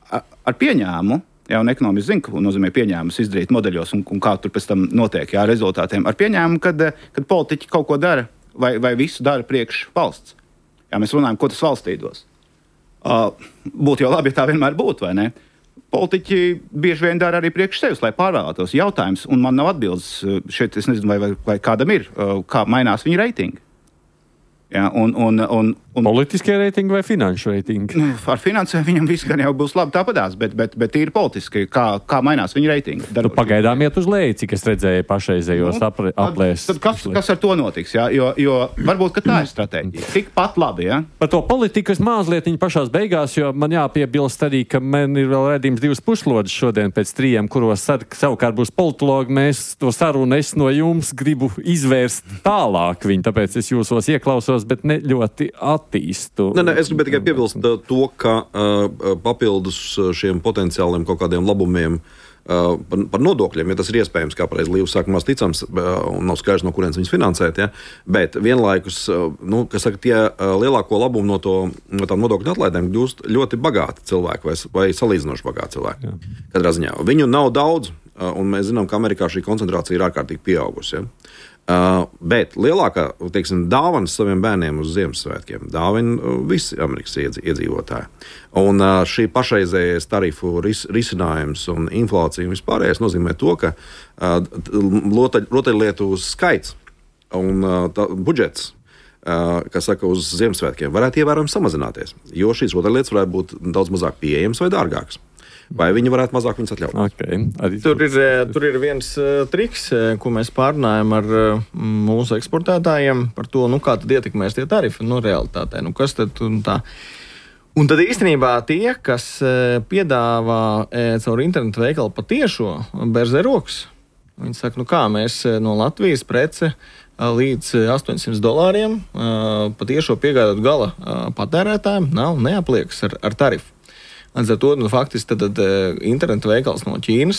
ar pieņēmu, jā, un ekonomiski zinu, ko nozīmē pieņēmus izdarīt modeļos un, un kā tur pēc tam notiek, jā, rezultātiem. Ar pieņēmu, kad, kad politiķi kaut ko dara vai, vai visu dara priekš valsts. Jā, mēs runājam, ko tas valstī dos. Uh, būtu jau labi, ja tā vienmēr būtu, vai ne? Politiķi bieži vien dara arī priekš sevis, lai pārvēlētos jautājums, un man nav atbildes šeit, es nezinu, vai, vai, vai kādam ir, uh, kā mainās viņa reitingi. Jā, un, un, un, un, politiskie reitingi vai finanšu reitingi? Ar finansēm viņam viss gan jau būs labi tāpadās, bet, bet, bet ir politiski, kā, kā mainās viņa reitingi. Nu, pagaidām iet uz leju, cik es redzēju pašreizējos nu, aplēs. Tad kas, kas ar to notiks? Jā? Jo, jo varbūt, ka tā ir stratēģija. Tikpat labi, jā? Par to politiku es mazliet viņa pašās beigās, jo man jāpiebilst arī, ka man ir vēl redzījums divas puslodes šodien pēc trījiem, kuros savukārt būs politologi. Mēs to sarunu es no jums gribu izvērst tālāk viņu, tāpēc es jūsos ieklausos, bet ne ļoti attīstu. Ne, ne, es gribēju tikai piebilst to, ka uh, papildus šiem potenciāliem kaut kādiem labumiem uh, par, par nodokļiem, ja tas ir iespējams, kā pareizi Līvs saka, maz ticams, uh, un nav skaidrs, no kurienes viņus finansēt, ja? Bet vienlaikus, uh, nu, kas saka, tie uh, lielāko labumu no, to, no tām nodokļu atlaidēm gūst ļoti bagāti cilvēki vai, vai salīdzinoši bagāti cilvēki. Jā. Katrā ziņā. Viņu nav daudz, uh, un mēs zinām, ka Amerikā šī koncentrācija ir ārkārtīgi pieaugusi. Ja? Uh, bet lielākā, teiksim, dāvanas saviem bērniem uz Ziemassvētkiem dāvina uh, visi Amerikas iedzīvotāji. Un uh, šī pašreizējais tarifu ris, risinājums un inflācija un vispārējais nozīmē to, ka uh, rotaļlietu skaits un uh, tā, budžets, uh, kas saka, uz Ziemassvētkiem varētu ievērojami samazināties, jo šīs rotaļlietas varētu būt daudz mazāk pieejamas vai dārgākas. Vai viņi varētu mazāk viņus atļaut? Okay. Tur, ir, tur ir viens uh, triks, ko mēs pārnājam ar uh, mūsu eksportētājiem par to, nu, kā tad ietekmēs tie tarifi, nu, realitātē. Nu, kas tad un tā? Un tad īstenībā tie, kas uh, piedāvā uh, caur internetu veikalu patiešo berzē rokas, viņi saka, nu kā mēs uh, no Latvijas prece uh, līdz uh, astoņsimt dolāriem uh, patiešo piegādāt gala uh, patērētājiem nav neapliekas ar, ar tarifu. Līdz ar to, nu, faktiski tad, tad internetu veikals no Ķīnas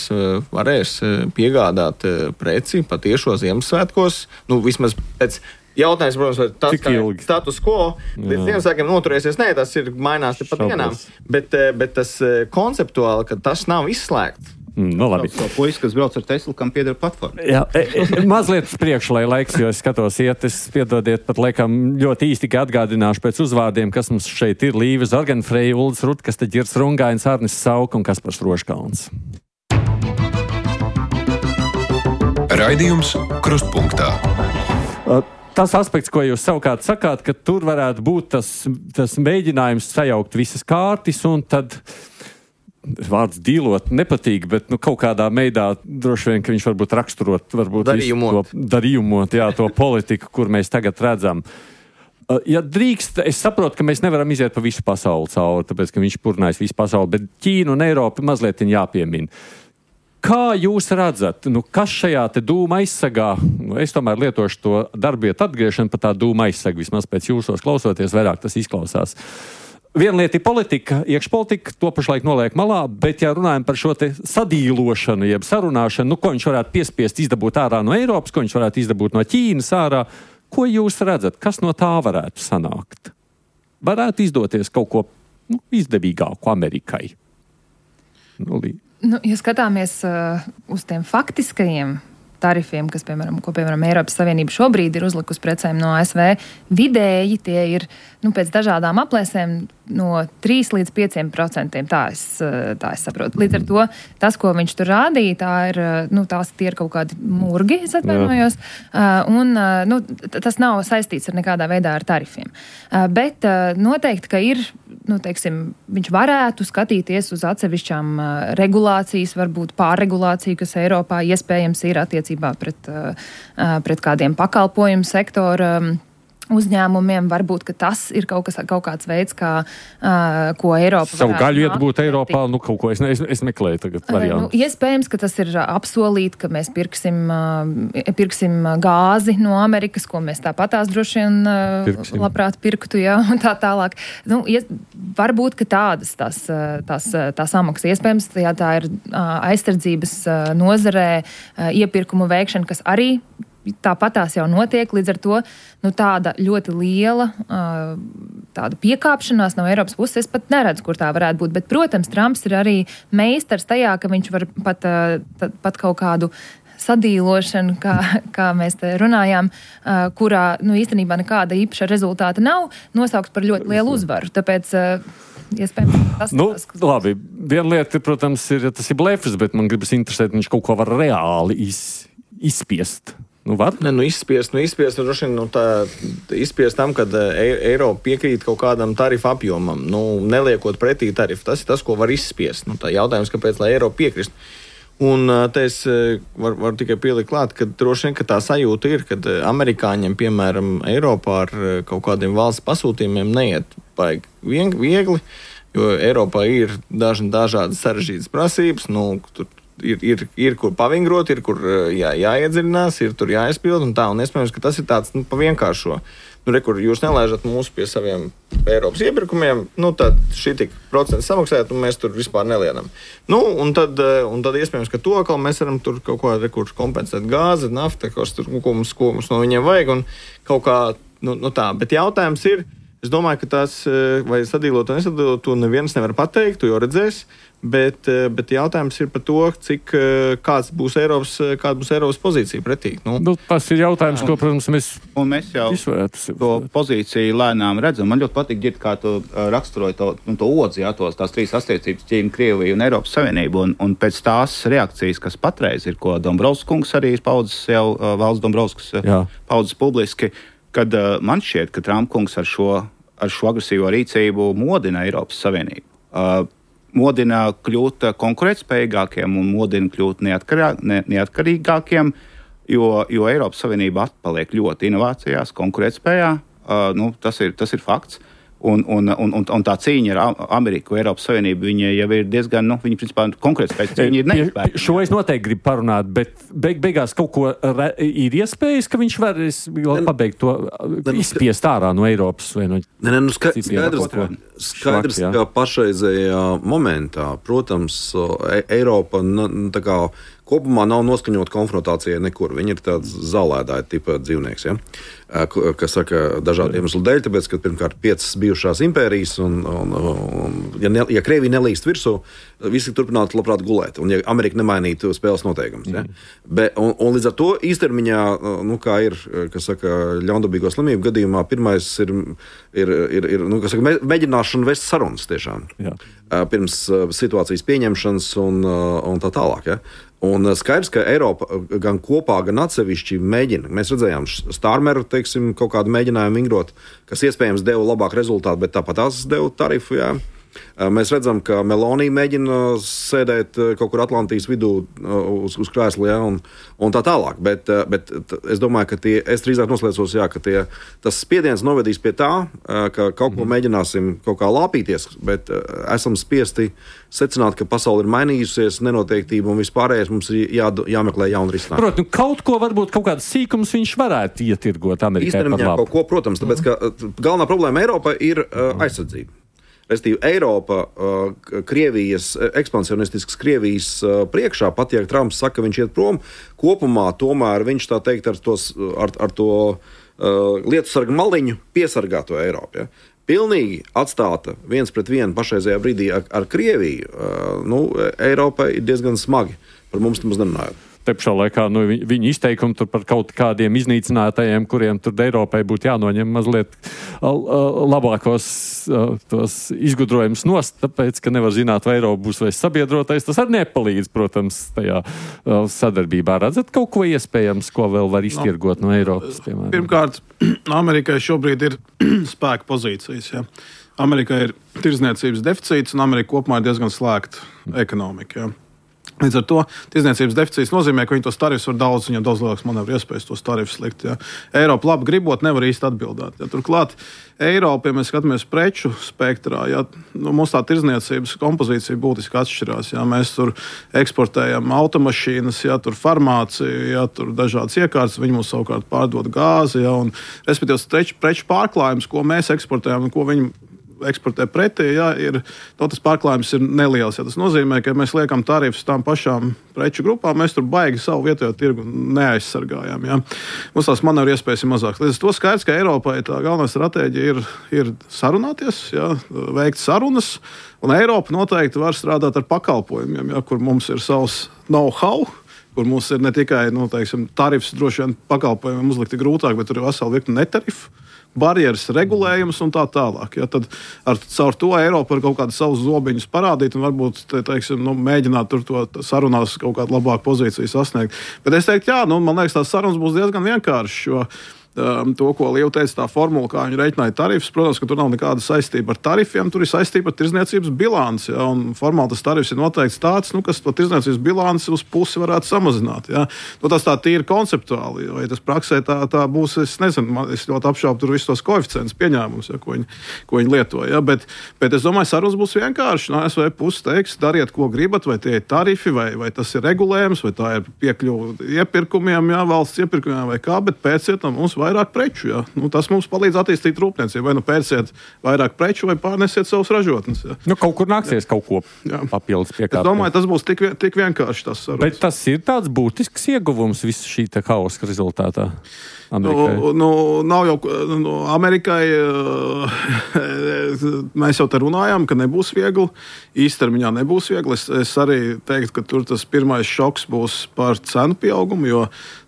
varēs piegādāt preci patiešo Ziemassvētkos, nu, vismaz pēc jautājums, protams, vai tas kā status quo līdz Ziemassvētkiem noturēsies, nē, tas ir mainās te pat dienām, bet, bet tas konceptuāli, ka tas nav izslēgts. Mm, no labi. Tas puisis, kas brauc ar Teslu, kam pieder platforma. Jā, e, e, mazliet priekš, lai laiks, jo es skatos iet, es piedodiet, pat laikam ļoti īsti tikai atgādināšu pēc uzvārdiem, kas mums šeit ir: Līva Zorganfreja, Uldis Rutkas, Ģirs Rungains, Arnis Sauka un Kaspars Roškalns. Raidījums Krustpunktā. Tas aspekts, ko jūs savukārt sakāt, ka tur varētu būt tas, tas mēģinājums sajaukt visas kārtis un tad vārds dīlot nepatīk, bet nu, kaut kādā veidā droši vien, ka viņš varbūt raksturot, varbūt darījumot, to, darījumot jā, to politiku, kur mēs tagad redzam. Ja drīkst, es saprotu, ka mēs nevaram iziet pa visu pasauli cauri, tāpēc, ka viņš purnājis visu pasauli, bet Ķīnu un Eiropu mazliet jāpiemina. Kā jūs redzat, nu, kas šajā te dūma aizsagā, nu, es tomēr lietošu to darbietu atgriešanu par tā dūma aizsagu, vismaz pēc jūsos klausoties, vairāk tas izklausās. viena lieta ir politika, iekšpolitika, to pašlaik noliek malā, bet ja runājam par šo te sadīlošanu, jeb sarunāšanu, nu, ko viņš varētu piespiest izdabūt ārā no Eiropas, ko viņš varētu izdabūt no Ķīnas ārā, ko jūs redzat, kas no tā varētu sanākt? Varētu izdoties kaut ko nu, izdevīgāku Amerikai? Nu, nu, ja skatāmies uh, uz tiem faktiskajiem tarifiem, kas, piemēram, ko, piemēram, Eiropas Savienība šobrīd ir uzlikusi precēm no A S V, vidēji tie ir, nu, pēc dažādām aplēsēm no trīs līdz pieciem procentiem. Tā es, tā es saprotu. Līdz ar to tas, ko viņš tur rādīja, tā ir, nu, tās tie ir kaut kādi murgi, es atvainojos, un, nu, tas nav saistīts ar nekādā veidā ar tarifiem. Bet noteikti, ka ir, nu, teiksim, viņš varētu skatīties uz atsevišķām regulācijas, varbūt pārregulāciju, kas Eiropā iespējams ir attiecībā pret, pret kādiem pakalpojumu sektora uzņēmumiem. Varbūt, ka tas ir kaut, kas, kaut kāds veids, kā, uh, ko Eiropa savu gaļu iet būt Eiropā, nu kaut ko es, ne, es, es meklēju tagad variantu. Nu, iespējams, ka tas ir apsolīt, ka mēs pirksim, uh, pirksim gāzi no Amerikas, ko mēs tāpatās droši vien uh, labprāt pirktu, jā, un tā tālāk. Nu, ies, varbūt, ka tādas tās, tās, tās samaksas iespējams, ja tā ir uh, aizsardzības uh, nozarē uh, iepirkumu veikšana, kas arī tāpat tās jau notiek, līdz ar to nu, tāda ļoti liela uh, tāda piekāpšanās no Eiropas puses, es pat neredzu, kur tā varētu būt. Bet, protams, Trumps ir arī meistars tajā, ka viņš var pat, uh, pat kaut kādu sadīlošanu, kā, kā mēs te runājām, uh, kurā nu, īstenībā nekāda īpaša rezultāta nav, nosaukt par ļoti lielu uzvaru. Tāpēc uh, iespējams tas... Nu, tas labi, viena lieta, protams, ir, tas ir blefs, bet man gribas interesēt, viņš kaut ko var reāli iz, izspiest. Nu, var? Ne, nu, izspiest, nu, izspiest, nu, nu, tā, izspiest tam, kad Eiropa piekrīt kaut kādam tarifu apjomam, nu, neliekot pretī tarifu. Tas ir tas, ko var izspiest. Nu, tā jautājums, kāpēc, lai Eiropa piekrist. Un te es varu var tikai pielikt klāt, ka droši vien, ka tā sajūta ir, kad amerikāņiem, piemēram, Eiropā ar kaut kādiem valsts pasūtījumiem neiet baigi viegli, jo Eiropā ir daži dažādas sarežģītas prasības, nu, tur Ir, ir, ir kur pavingrot, ir kur jā, jāiedziļinās, ir tur jāizpild un tā, un iespējams, ka tas ir tāds, nu, pa vienkāršo. Nu, re, kur jūs nelaižat mūs pie saviem Eiropas iepirkumiem, nu, tad šī tik procents samaksājat, un mēs tur vispār nelienam. Nu, un tad, un tad iespējams, ka to atkal mēs varam tur kaut ko, re, kur kompensēt gāzi, nafta, kas tur, ko mums, ko mums no viņiem vajag, un kaut kā, nu, nu tā. Bet jautājums ir, es domāju, ka tās, vai sadīlot un nesadīlot, to neviens nevar pateikt, tu jau redzēs. Bet, bet jautājums ir par to, cik kāds būs Eiropas, kāda būs Eiropas pozīcija pretī. Nu, nu, tas ir jautājums, ko, protams, mēs, mēs jau to pozīciju lēnām redzam. Man ļoti patīk ģirt, kā tu raksturoji to, nu, to odzi, jā, tos, tās trīs attiecības Ķīna, Krievija un Eiropas Savienība. Un, un pēc tās reakcijas, kas patreiz ir, ko Dombrovskis kungs arī ir paudzes jau, Valds Dombrovskis paudzes publiski, kad man šķiet, ka Trump kungs ar šo, ar šo agresīvo rīcību modina Eiropas Savienību. Uh, modina kļūt konkurētspējīgākiem un modina kļūt neatkarā, ne, neatkarīgākiem, jo, jo Eiropas Savienība atpaliek ļoti inovācijās, konkurētspējā. Uh, nu, tas ir, tas ir fakts. Un, un, un, un tā cīņa ar Ameriku, Eiropas Savienību, viņa jau ir diezgan, nu, viņa principā konkurētspējas cīņa ir neizpēta. Šo es noteikti gribu parunāt, bet beig, beigās kaut ko re, ir iespējas, ka viņš var pabeigt to izspiest ārā no Eiropas vai no... Ne, ne, nu ska, skaidrs, ka, skaidrs ka pašreizējā momentā, protams, Eiropa, nu, tā kā kopumā nav noskaņota konfrontācijai nekur. Viņi ir tāds zālēdāja tipa dzīvnieks, ja? Kas saka dažādu iemeslu dēļ, tāpēc, ka pirmkārt piecas bijušās impērijas, un, un, un ja, ne, ja Krievija nelīst virsū, visi turpinātu labprāt gulēt, un ja Amerika nemainītu spēles noteikumus. Ja? Mm. Be, un, un līdz ar to īstermiņā, nu, kā ir, kas saka, ļaundabīgo slimību gadījumā, pirmais ir, ir, ir, ir nu, kas saka, mēģināšana vest sarunas tiešām. Jā. Pirms situācijas pieņemšanas un, un tā tālāk, ja? Un skaidrs, ka Eiropa gan kopā, gan atsevišķi mēģina. Mēs redzējām Stārmeru, teiksim, kaut kādu mēģinājumu vingrot, kas iespējams deva labāku rezultātu, bet tāpat tās deva tarifu, jā. Mēs redzam, ka Meloni mēģina sēdēt kaut kur Atlantijas vidū uz, uz krēsla, ja, un, un tā tālāk. Bet, bet es domāju, ka tie, es drīzāk noslēdzos, jā, ka tie, tas spiediens novedīs pie tā, ka kaut ko mēģināsim kaut kā lāpīties, bet esam spiesti secināt, ka pasaule ir mainījusies, nenoteiktība un vispārējais mums ir jā, jāmeklē jauni risinājumi. Protams, nu, kaut ko varbūt kaut kādas sīkums viņš varētu ietirgot Amerikai par labu. Kaut ko, protams, tāpēc, ka galvenā problēma Eiropai ir uh, aizsardzība. Restīvi, Eiropa, uh, Krievijas, ekspansionistisks Krievijas uh, priekšā, pat ja Trumps saka, viņš iet prom, kopumā tomēr viņš tā teikt ar, tos, ar, ar to uh, lietu sargu maliņu piesargā to Eiropu. Ja? Pilnīgi atstāta viens pret vienu pašreizajā brīdī ar, ar Krieviju, uh, nu, Eiropai ir diezgan smagi, par mums nemaz nerunājot. Te pašā laikā nu, viņi izteikumi tur par kaut kādiem iznīcinātajiem, kuriem tur Eiropai būtu jānoņem mazliet labākos tos izgudrojumus nost, tāpēc, ka nevar zināt, vai Eiropa būs vai sabiedrotais. Tas arī nepalīdz, protams, tajā sadarbībā. Redzat kaut ko iespējams, ko vēl var iztirgot no, no Eiropas, piemēram? Pirmkārt, Amerikai šobrīd ir spēka pozīcijas, ja. Amerikai ir tirdzniecības deficīts, un Amerika kopumā ir diezgan slēgta ekonomika, ja. Līdz ar to tirdzniecības deficīts nozīmē, ka viņi tos tarifus var daudz, viņam daudz lielāks manevru iespējas tos tarifus likt. Ja. Eiropa labi gribot, nevar īsti atbildēt. Ja. Turklāt Eiropa, ja mēs skatāmies preču spektrā, ja, nu, mums tā tirdzniecības kompozīcija būtiski atšķirās. Ja. Mēs tur eksportējam automašīnas, ja, tur farmāciju, ja, tur dažādas iekārtas, viņi mums savukārt pārdod gāzi. Ja, un, respektīvi, preču pārklājums, ko mēs eksportējam un ko viņi eksportē pretī, ja, ir, no tas pārklājums ir neliels. Ja. Tas nozīmē, ka mēs liekam tarifus tām pašām preču grupām, mēs tur baigi savu vietējo tirgu neaizsargājam. Ja. Mums tās manevru iespējas ir mazākas. Līdz ar to skaidrs, ka Eiropai tā galvenā stratēģija ir, ir sarunāties, ja, veikt sarunas, un Eiropa noteikti var strādāt ar pakalpojumiem, ja, kur mums ir savs know-how, kur mums ir ne tikai, nu, teiksim, tarifs droši vien pakalpojumiem uzlikti grūtāk, bet tur ir vesela virkne netarifu, barjeras, regulējums un tā tālāk. Ja, tad ar, caur to Eiropa var kaut kādus savus zobiņus parādīt un varbūt te, teiksim, nu, mēģināt tur to sarunās kaut kādu labāku pozīciju sasniegt. Bet es teiktu, jā, nu, man liekas, tās sarunas būs diezgan vienkāršas, jo um, to, ko Līva teica, tā formula, kā viņi reiķināja tarifus, protams, ka tur nav nekāda saistība ar tarifiem, tur ir saistība ar tirdzniecības bilanci. Ja, un formāli tas tarifs ir noteikts tāds, nu, kas to tirdzniecības bilanci uz pusi varētu samazināt. Ja. Nu, tas tā tīri konceptuāli, vai tas praksē tā, tā būs, es nezinu, man, es ļoti apšaubu tur visus tos koeficientus pieņēmumus, ja, ko, viņi, ko viņi lieto. Ja. Bet, bet es domāju, sarunas būs vienkārši. No A S V puses teiks, dariet, ko gribat, vai tie ir tarifi, vai, vai tas ir regulējums, vai tā ir piekļuva iepirkumiem, ja, valsts iepirkumiem vai kā, bet pēciet no mums vairāk preču. Ja. Nu, tas mums palīdz attīstīt rūpniecību. Vai nu pērciet vairāk preču, vai pārnesiet savus ražotnes. Ja. Nu, kaut kur nāksies jā. Kaut ko jā. Papildus piekāpt. Es domāju, tas būs tik, tik vienkārši tas sarunas. Bet tas ir tāds būtisks ieguvums visu šī te hauska rezultātā. Nu, nu, nav jau nu, Amerikai, mēs jau te runājām, ka nebūs viegli, īstermiņā nebūs viegli. Es, es arī teiktu, ka tur tas pirmais šoks būs par cenu pieaugumu, jo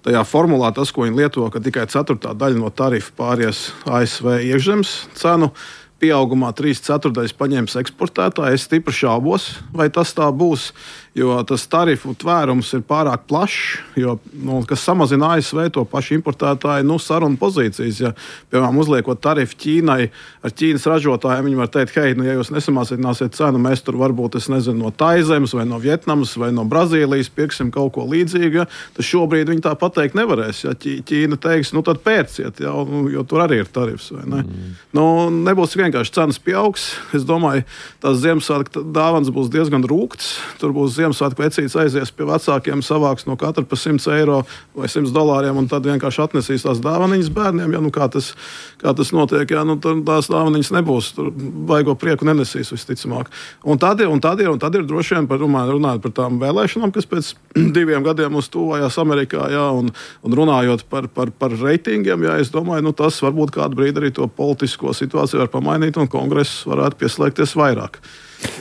tajā formulā tas, ko viņi lieto, ka tikai ceturtā daļa no tarifa pāries A S V iekšzemes cenu pieaugumā trīs ceturdaļas paņems eksportētāji. Es stipri šaubos, vai tas tā būs, jo tas tarifu tvērums ir pārāk plašs, jo, nu, kas samazina A S V to pašu importētāju nu, sarunu pozīcijas. Ja, piemēram, uzliekot tarifu Ķīnai, ar Ķīnas ražotājiem, viņi var teikt, hei, nu, ja jūs nesamazināsiet cenu, mēs tur varbūt, es nezinu, no Taizemes vai no Vietnamas vai no Brazīlijas pirksim kaut ko līdzīgu, ja, tad šobrīd viņi tā pateikt nevarēs. Ja Ķīna teiks, nu tad pērciet, ja, jo tur arī ir tarifs. Vai ne? Mm. Nu, nebūs vienkārši cenas pieaugs. Es domāju, tās Ziemassvētku dāvanas būs diezgan rūgtas. Tur būs Ziemassvētku vecītis aizies pie vecākiem, savāks no katra pa simts eiro vai simts dolāriem, un tad vienkārši atnesīs tās dāvaniņas bērniem. Ja, nu, kā, tas, kā tas notiek, ja, nu, tās dāvaniņas nebūs. Tur baigo prieku nenesīs visticamāk. Un tad, un tad ir, un tad ir droši vien par, runājot par tām vēlēšanām, kas pēc diviem gadiem mums tuvojās Amerikā, ja, un, un runājot par, par, par reitingiem, ja, es domāju, nu, tas varbūt kādu brīdi arī to politisko situāciju var pamainīt, un kongress varētu pieslēgties vairāk.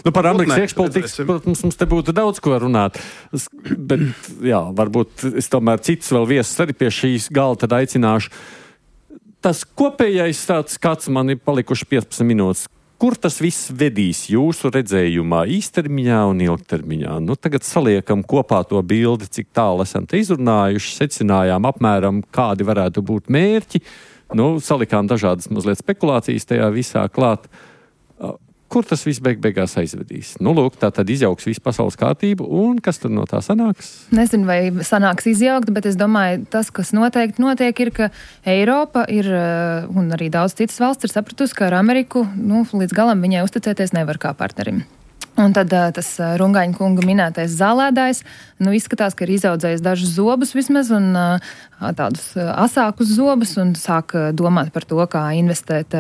Nu, par Amerikas iekšpolitikas, protams, mums te būtu daudz ko runāt, bet, jā, varbūt es tomēr citus vēl viesus arī pie šīs galda tad aicināšu. Tas kopējais tāds skats man ir palikuši piecpadsmit minūtes. Kur tas viss vedīs jūsu redzējumā īstermiņā un ilgtermiņā? Nu, tagad saliekam kopā to bildi, cik tālu esam te izrunājuši, secinājām apmēram, kādi varētu būt mērķi. Nu, salikām dažādas mazliet spekulācijas tajā visā klāt. Kur tas viss beig beigās aizvedīs? Nu, lūk, tā tad izjauks visu pasaules kārtību, un kas tur no tā sanāks? Nezinu, vai sanāks izjaukt, bet es domāju, tas, kas noteikti notiek, ir, ka Eiropa ir, un arī daudz citas valsts ir sapratusi, ka ar Ameriku, nu, līdz galam viņai uzticēties nevar kā partnerim. Un tad tas Rungaņa kunga minētais zālēdājs, nu, izskatās, ka ir izaudzējis dažus zobus vismaz un tādus asākus zobus un sāk domāt par to, kā investēt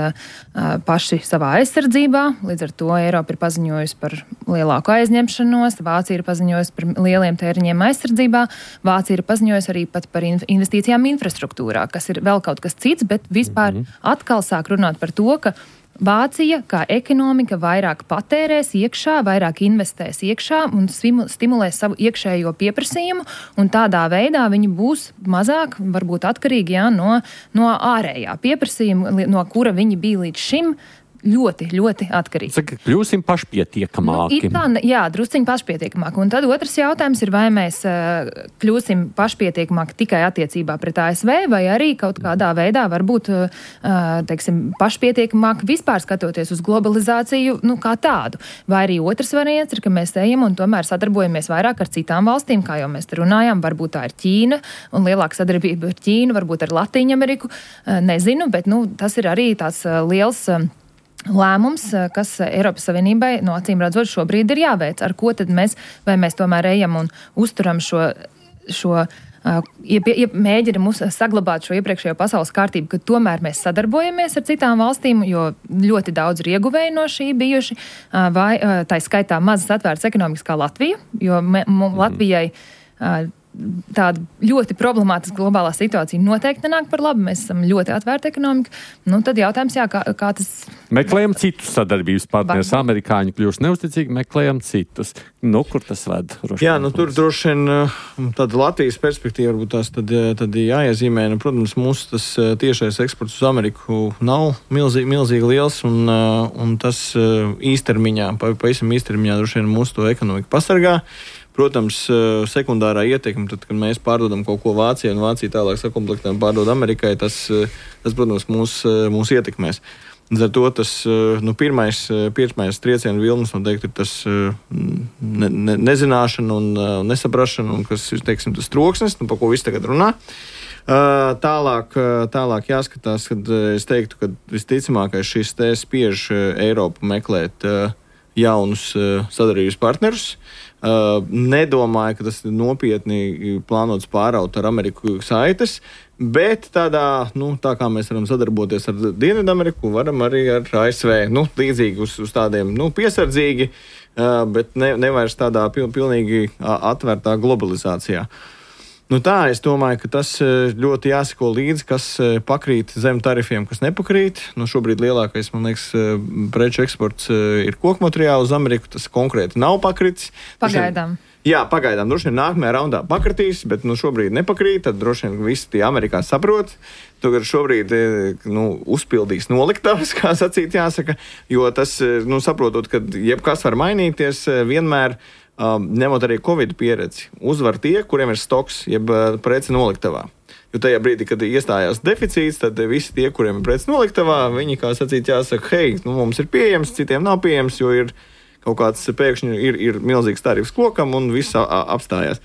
paši savā aizsardzībā. Līdz ar to Eiropa ir paziņojusi par lielāku aizņemšanos, Vācija ir paziņojusi par lieliem tēriņiem aizsardzībā, Vācija ir paziņojusi arī pat par investīcijām infrastruktūrā, kas ir vēl kaut kas cits, bet vispār atkal sāk runāt par to, ka Vācija, kā ekonomika, vairāk patērēs iekšā, vairāk investēs iekšā un stimulēs savu iekšējo pieprasījumu, un tādā veidā viņi būs mazāk, varbūt atkarīgi jā, no, no ārējā pieprasījuma, no kura viņi bija līdz šim ļoti, ļoti atkarīgi. Saka, kļūsim pašpietiekamāki. Nu, tā, jā, drusciņi pašpietiekamāki. Un tad otrs jautājums ir, vai mēs uh, kļūsim pašpietiekamāki tikai attiecībā pret A S V, vai arī kaut kādā veidā varbūt, uh, teiksim, pašpietiekamāki vispār skatoties uz globalizāciju, nu, kā tādu. Vai arī otrs variants ir, ka mēs ejam un tomēr sadarbojamies vairāk ar citām valstīm, kā jau mēs te runājām, varbūt tā ir Ķīna un lielāka sadarbība ar Ķīnu, varbūt ar Latīņu Ameriku, uh, nezinu, bet, nu, tas ir arī tāds uh, liels uh, lēmums, kas Eiropas Savienībai no acīm redzot šobrīd ir jāveic. Ar ko tad mēs, vai mēs tomēr ejam un uzturam šo, šo uh, iep, iep, mēģinam saglabāt šo iepriekšējo pasaules kārtību, ka tomēr mēs sadarbojamies ar citām valstīm, jo ļoti daudz ir ieguvēji no šī bijuši, uh, vai uh, tā skaitā mazas atvērtas ekonomikas kā Latvija, jo me, m, Latvijai uh, tāda ļoti problemātiska globālā situācija noteikti nenāk par labu. Mēs esam ļoti atvērta ekonomika. Nu, tad jautājums, jā, kā, kā tas... Meklējam citus sadarbības partnerus. Amerikāņi kļūst neusticīgi, meklējam citus. Nu, kur tas ved? Jā, nu, tur droši vien tāda Latvijas perspektīva varbūt tās tad, tad jāiezīmē. Nu, protams, mūsu tas tiešais eksports uz Ameriku nav milzīgi, milzīgi liels, un, un tas īstermiņā, pavisam īstermiņā droši vien mūsu to ekonomiku pasargā. Protams, sekundārā ietekme, tad, kad mēs pārdodam kaut ko Vācijai un Vācija tālāk sakomplektē un pārdod Amerikai, tas, tas protams, mūs, mūs ietekmēs. Līdz ar to tas nu, pirmais, pirmais triecienu vilnis noteikti ir tas ne, ne, nezināšana un nesaprašana, un kas, teiksim, tas troksnis, nu, pa ko viss tagad runā. Tālāk, tālāk jāskatās, kad es teiktu, ka visticamākais šis te spiež Eiropu meklēt jaunus sadarbības partnerus. Uh, nedomāju, ka tas ir nopietni plānots pāraut ar Ameriku saites, bet tādā, nu, tā kā mēs varam sadarboties ar Dienvidameriku, varam arī ar A S V, nu, līdzīgi uz, uz tādiem, nu, piesardzīgi, uh, bet ne, nevairs tādā pil, pilnīgi atvērtā globalizācijā. Nu tā, es domāju, ka tas ļoti jāsako līdzi, kas pakrīt zem tarifiem, kas nepakrīt. Nu, šobrīd lielākais, man liekas, preču eksports ir kokmateriāli uz Ameriku. Tas konkrēti nav pakritis. Pagaidām. Jā, pagaidām. Droši vien nākamajā raundā pakritīs, bet nu, šobrīd nepakrīt. Tad droši vien visi tie Amerikā saprot. Tur šobrīd nu, uzpildīs noliktavas, kā sacīt jāsaka. Jo tas, nu, saprotot, ka jebkas var mainīties, vienmēr Um, ņemot arī Covid pieredzi, uzvar tie, kuriem ir stoks, jeb uh, preci noliktavā. Jo tajā brīdī, kad iestājās deficīts, tad visi tie, kuriem ir preci noliktavā, viņi, kā sacīt, jāsaka, hei, nu, mums ir pieejams, citiem nav pieejams, jo ir kaut kāds pēkšņi ir, ir milzīgs tarifs kokam un viss apstājās.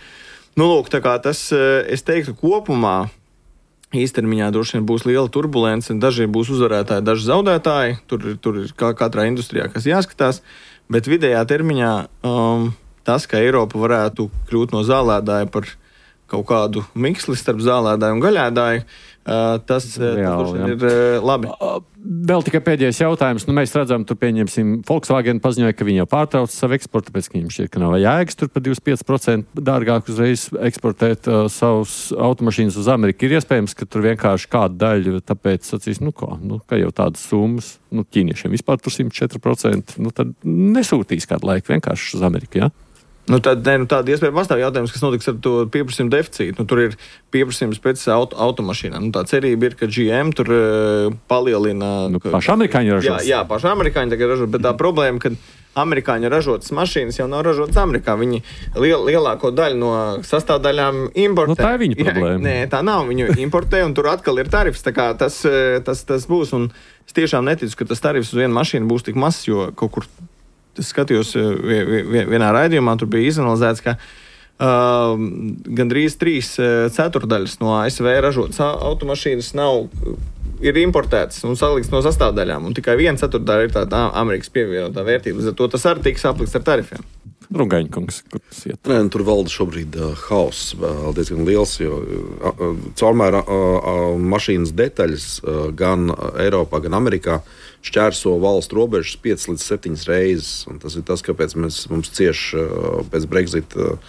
Nu, lūk, tā kā tas, es teiktu, kopumā īstermiņā droši vien būs liela turbulence, daži būs uzvarētāji, daži zaudētāji, tur, tur ir kā katrā industrijā, kas jāskatās, bet vidējā termiņā um, tas, ka Eiropa varētu kļūt no zālēdāja par kaut kādu miksli starp zālēdāju un gaļēdāju, tas, jā, tas jā. ir labi. Vēl tikai pēdējais jautājums. Nu, mēs redzam, tur pieņemsim, Volkswagen paziņoja, ka viņi jau pārtrauc savu eksportu, tāpēc, ka viņiem šķiet, ka nav jēgas tur par divdesmit pieci procenti dārgāk uzreiz eksportēt uh, savus automašīnas uz Ameriku. Ir iespējams, ka tur vienkārši kādu daļu, tāpēc sacīs, nu ko, nu, ka jau tādas summas, nu, ķīniešiem vispār tur simt četri procenti, nu, tad nesūtīs kādu laiku vienkārši uz Ameriku, jā? Ja? Nu, tad, ne, nu, tāda iespēja pastāv jautājums, kas notiks ar to pieprasījumu deficītu. Nu, tur ir pieprasījums pēc auto, automašīnām. Nu, tā cerība ir, ka G M tur uh, palielina... Nu, paši amerikāņi ražos. Jā, jā, paši amerikāņi tagad ražos, bet tā problēma, ka amerikāņi ražotas mašīnas jau nav ražotas Amerikā. Viņi liel, lielāko daļu no sastāvdaļām importē. Nu, tā ir viņa problēma. Jā, nē, tā nav. Viņu importē un tur atkal ir tarifs. Tā kā tas, tas, tas būs. Un es tiešām neticu, ka tas tarifs uz vienu mašīnu būs tik mazs, jo kaut kur... Es skatījos vienā raidījumā, tur bija izanalizēts, ka uh, gandrīz trīs ceturdaļas no A S V ražotas automašīnas nav ir importētas un salikts no sastāvdaļām, un tikai viena ceturtdaļa ir tāda Amerikas pievienotā vērtība. Līdz ar to tas arī tiks aplikts ar tarifiem. Rungaņkungs, kur tas iet? Nē, tur valda šobrīd uh, hauss uh, diezgan liels, jo uh, caurmēr uh, uh, mašīnas detaļas uh, gan Eiropā, gan Amerikā šķērso valstu robežas piecas līdz septiņas reizes. Un tas ir tas, kāpēc mēs, mums cieš uh, pēc Brexit uh,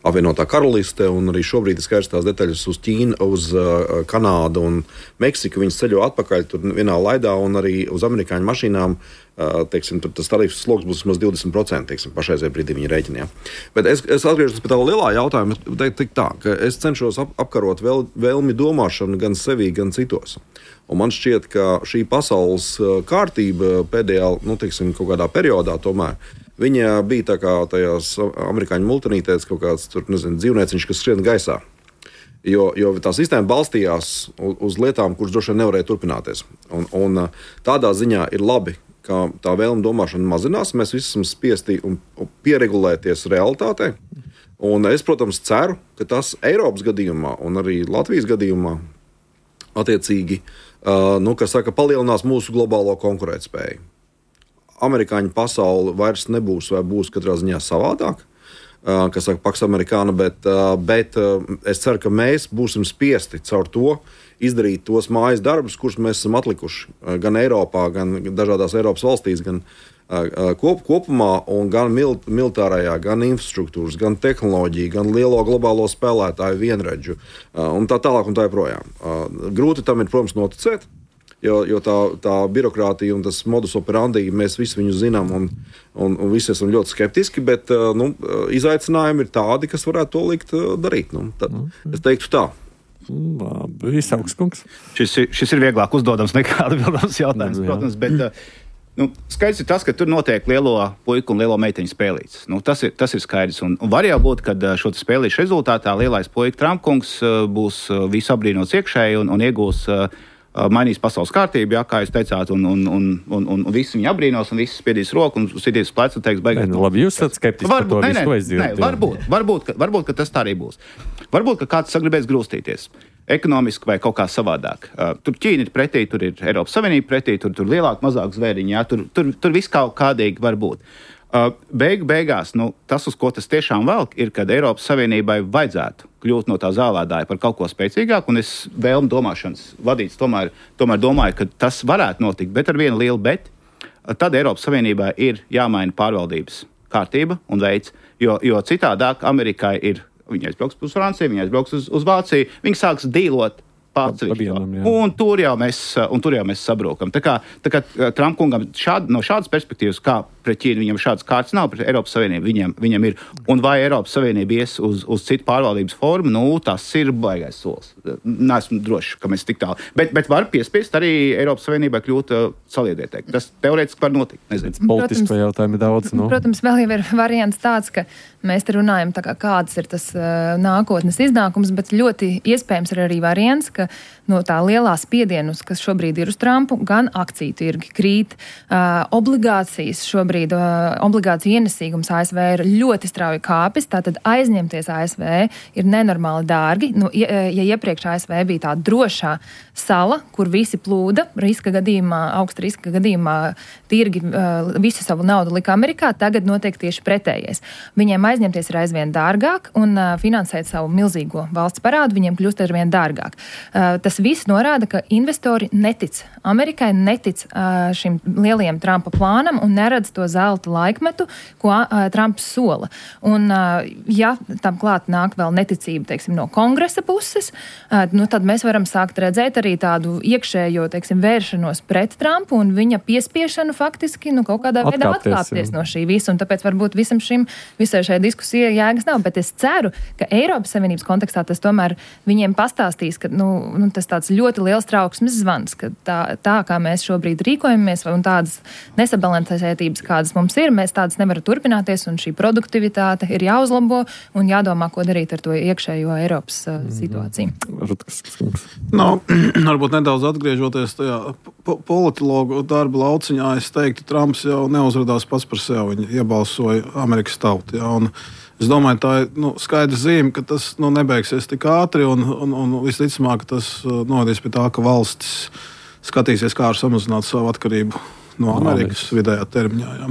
apvienotā karaliste, un arī šobrīd ir skaidrs tās detaļas uz Ķīnu, uz uh, Kanādu un Meksiku. Viņas ceļo atpakaļ tur vienā laidā, un arī uz amerikāņu mašīnām Uh, teiksim, tas tarifs sloks būs vismaz divdesmit procenti pašreizajā brīdī viņa rēķinā. Bet es, es atgriežos pie tā lielā jautājuma. Es, tā, es cenšos ap, apkarot vēl, vēlmi domāšanu gan sevī, gan citos. Un man šķiet, ka šī pasaules kārtība pēdējā, nu, teiksim, kaut kādā periodā tomēr, viņa bija tā kā tajās amerikāņu multinītēs kaut kāds tur, nezinu, dzīvnieciņš, kas skrien gaisā. Jo, jo tā sistēma balstījās uz, uz lietām, kuras droši vien nevarēja turpināties. Un, un tādā ziņā ir labi, ka tā vēlme domāšana mazinās, mēs visi esam spiesti un pieregulēties realitātei. Un es, protams, ceru, ka tas Eiropas gadījumā un arī Latvijas gadījumā attiecīgi, uh, nu, kas saka, palielinās mūsu globālo konkurētspēju. Amerikāņu pasaule vairs nebūs vai būs katrā ziņā savādāk, uh, kas saka, Pax Americana, bet, uh, bet uh, es ceru, ka mēs būsim spiesti caur to izdarīt tos mājas darbus, kurus mēs esam atlikuši gan Eiropā, gan dažādās Eiropas valstīs, gan uh, kop, kopumā, un gan mil, militārajā, gan infrastruktūras, gan tehnoloģija, gan lielo globālo spēlētāju vienredžu, uh, un tā tālāk un tā joprojām. Uh, grūti tam ir, protams, noticēt, jo, jo tā, tā birokrātija un tas modus operandi, mēs visi viņu zinām, un, un, un visi esam ļoti skeptiski, bet uh, nu, izaicinājumi ir tādi, kas varētu to likt uh, darīt. Nu, tad, es teiktu tā. Labi, Saukskungs. Šis, šis ir vieglāk uzdodams nekā atbildams jautājums, protams, bet nu, skaidrs ir tas, ka tur notiek lielo puiku un lielo meiteņu spēlītes. Nu, tas, ir, tas ir skaidrs. Un, un var jau būt, ka šo spēlīšu rezultātā lielais puika Trumpkungs būs visu apbrīnots iekšēji un, un iegūs, mainīs pasaules kārtību, jā, kā jūs teicāt, un, un, un, un, un, un visi viņu apbrīnos, un visi spiedīs roku un sitīs plecu un teiks, beigās. Nu, labi, jūs esat skeptiski par to visu, ko es dzirdu. Nē, varbūt, varbūt, ka, varbūt, ka tas tā arī būs. Varbūt, ka kāds sagribēs grūstīties. Ekonomiski vai kaut kā savādāk. Uh, tur Ķīna ir pretī, tur ir Eiropas Savienība pretī, tur, tur lielāk, mazāk zvēriņi, jā, tur, tur, tur viss kaut kādīgi var būt. Uh, beigu beigās, nu, tas, uz ko tas tiešām velk, ir, kad Eiropas Savienībai vajadzētu kļūt no tā zālēdāja par kaut ko spēcīgāku, un es vēlmu domāšanas vadīts tomēr, tomēr domāju, ka tas varētu notikt, bet ar vienu lielu bet, tad Eiropas Savienībai ir jāmaina pārvaldības kārtība un veids, jo, jo citādāk Amerikai ir. Viņi aizbrauks uz Franciju, viņi aizbrauks uz, uz Vāciju, viņi sāks dīlot pārceļot. Un tur jau mēs, un tur jau mēs sabrūkam. Tā kā, tā kā Trumpkungam šād, no šādas perspektīvas, kā pret Ķīnu, viņam šādas kārtas nav, pret Eiropas Savienību viņam, viņam ir. Un vai Eiropas Savienība ies uz, uz citu pārvaldības formu, nu, tas ir baigais solis. Neesmu drošs, ka mēs tik tālu. Bet, bet var piespiest arī Eiropas Savienībai kļūt uh, saliedētēji. Tas teorētiski var notikt. Politisko jautājumu ir daudz. No? Protams, vēl jau ir variants tāds, ka mēs te runājam, tā kā kāds ir tas uh, nākotnes iznākums, bet ļoti iespējams ir arī variants, ka no tā lielā spiedienus, kas šobrīd ir uz Trumpu, gan akciju tirgi krīt, uh, obligācijas šobrīd, uh, obligāciju ienesīgums A S V ir ļoti strauji kāpis, tātad aizņemties A S V ir nenormāli dārgi. Nu, ja, ja iepriekš A S V bija tā drošā sala, kur visi plūda, riska gadījumā, augsta riska gadījumā tirgi uh, visu savu naudu lika Amerikā, tagad notiek tieši pretējais. Viņiem aizņemties ir aizvien dārgāk un uh, finansēt savu milzīgo valsts parādu viņiem kļūst aizvien dārgāk. Uh, tas viss norāda, ka investori netic Amerikai, netic uh, šim lielajam Trumpa plānam un neredz to zelta laikmetu, ko uh, Trumps sola. Un, uh, ja tam klāt nāk vēl neticība, teiksim, no kongresa puses, uh, nu, tad mēs varam sākt redzēt arī tādu iekšējo, teiksim, vēršanos pret Trumpu un viņa piespiešanu faktiski, nu, kaut kādā veidā atkāpties no šī visa. Un tāpēc varbūt visam šim, visai šai diskusijai jēgas nav. Bet es ceru, ka Eiropas Savienības kontekstā tas tomēr viņiem pastāstīs, ka, nu, nu tas tāds ļoti liels trauksmes zvans, ka tā, tā kā mēs šobrīd rīkojamies un tādas nesabalansētības, kādas mums ir, mēs tādas nevaram turpināties un šī produktivitāte ir jāuzlabo un jādomā, ko darīt ar to iekšējo Eiropas uh, situāciju. No, varbūt nedaudz atgriežoties tajā po- politologu darba lauciņā, es teiktu, Trumps jau neuzradās pats par sevi, viņi iebalsoja Amerikas tautu. Ja, un es domāju, tā ir nu, skaidra zīme, ka tas nu, nebeigsies tik ātri un, un, un visticamāk, tas uh, novadīs pie tā, ka valstis skatīsies, kā var samazināt savu atkarību no Amerikas vidējā termiņā. Jā.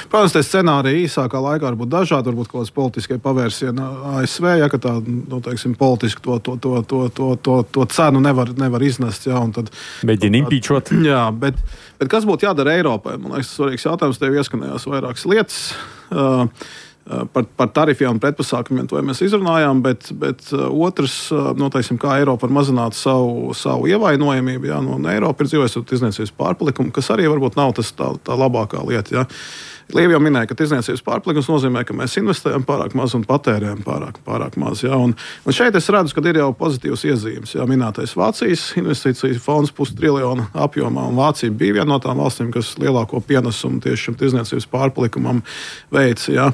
Protams, tie scenāriji īsākā laikā var būt dažādi, varbūt kaut kāds politiskai pavērsieni A S V, ja, ka tā, nu, teiksim, politiski to, to, to, to, to, to, to cenu nevar, nevar iznest. Jā, un tad, mēģina impīčot. Jā, bet, bet kas būtu jādara Eiropai? Man liekas, svarīgs jautājums, tev ieskanējās vairākas lietas. Uh, Par, par tarifiem un pretpasākumiem to mēs izrunājām, bet, bet otrs, noteiksim, kā Eiropa var mazināt savu, savu ievainojamību. Jā, no Eiropa ir dzīvojusi tirdzniecības pārpalikumu, kas arī varbūt nav tas tā, tā labākā lieta. Jā. Līva jau minēja, ka tirdzniecības pārpalikums nozīmē, ka mēs investējam pārāk maz un patērējam pārāk, pārāk maz. Jā. Un, un šeit es redzu, ka ir jau pozitīvas iezīmes. Jā, minētais Vācijas investīcijas fonds pustriljona apjomā, un Vācija bija viena no tām valstīm, kas lielāko pienesumu tieši šim tirdzniecības pārpalikumam veica. Jā.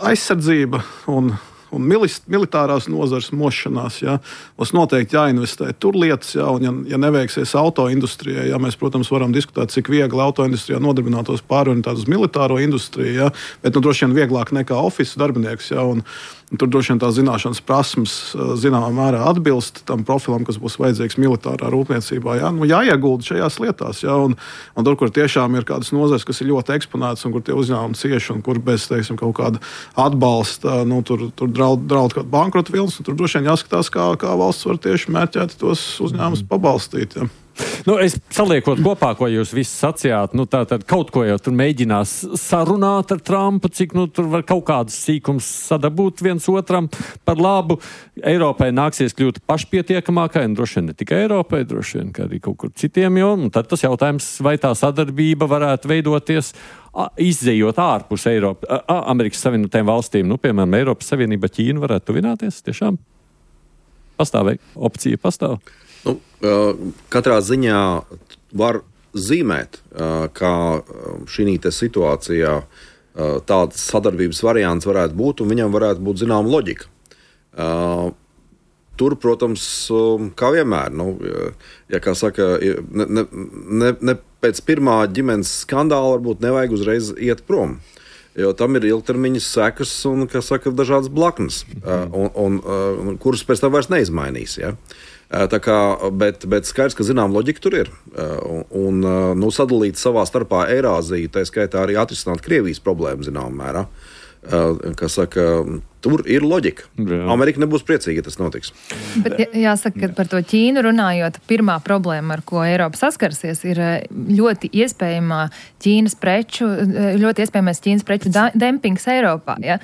Aizsardzība un un militārās nozares mošanās. Ja, mums noteikti jāinvestē tur lietas, ja, un ja, ja neveiksies autoindustrijai, ja, mēs, protams, varam diskutēt, cik viegli autoindustrijā nodarbinātos pārorientēt uz militāro industriju, ja, bet nu, droši vien vieglāk nekā ofisu darbinieks. Ja, un, un tur droši vien tās zināšanas prasmes zināmā mērā atbilst tam profilam, kas būs vajadzīgs militārā rūpniecībā. Ja. Nu, jāiegulda šajās lietās. Ja, un, un tur, kur tiešām ir kādas nozares, kas ir ļoti eksponētas un kur tie uzņēmumi cieši un kur bez, teiksim, kaut kāda atbalsta, nu, tur, tur draud, draud kādu bankrota vilnis, un tur droši vien jāskatās, kā, kā valsts var tieši mērķēti tos uzņēmumus pabalstīt. Ja. Nu, es saliekot kopā, ko jūs visi sacījāt, nu, tā tad kaut ko jau tur mēģinās sarunāt ar Trumpu, cik nu, tur var kaut kādus sīkums sadabūt viens otram par labu. Eiropai nāksies kļūt pašpietiekamākai, un droši vien ne tikai Eiropai, droši vien arī kaut kur citiem, jo un tad tas jautājums, vai tā sadarbība varētu veidoties izdzējot ārpus Eiropa, Amerikas Savienotām valstīm, nu, piemēram, Eiropas Savienība, Ķīna varētu tuvināties tiešām? Pastāv, opcija pastāv? Nu, katrā ziņā var zīmēt, ka šī situācijā tāds sadarbības variants varētu būt, un viņam varētu būt zināma loģika. Tur, protams, kā vienmēr, nu, ja kā saka, ne, ne, ne, ne pēc pirmā ģimenes skandāla varbūt nevajag uzreiz iet prom. Jo tam ir ilgtermiņa sekas un, kā saka, dažādas blaknes, un, un, un kuras pēc tam vairs neizmainīs. Ja? Tā kā, bet, bet skaidrs, ka zinām loģika tur ir. Un, un nu, sadalīt savā starpā Eirāziju, tā skaitā arī atrisināt Krievijas problēmu zināmā mērā. Kā saka, tur ir loģika. Jā. Amerika nebūs priecīga, ja tas notiks. Bet jāsaka, ka par to Ķīnu runājot, pirmā problēma, ar ko Eiropa saskarsies, ir ļoti iespējamā Ķīnas preču, ļoti iespējamais Ķīnas preču dempings Eiropā. Ja?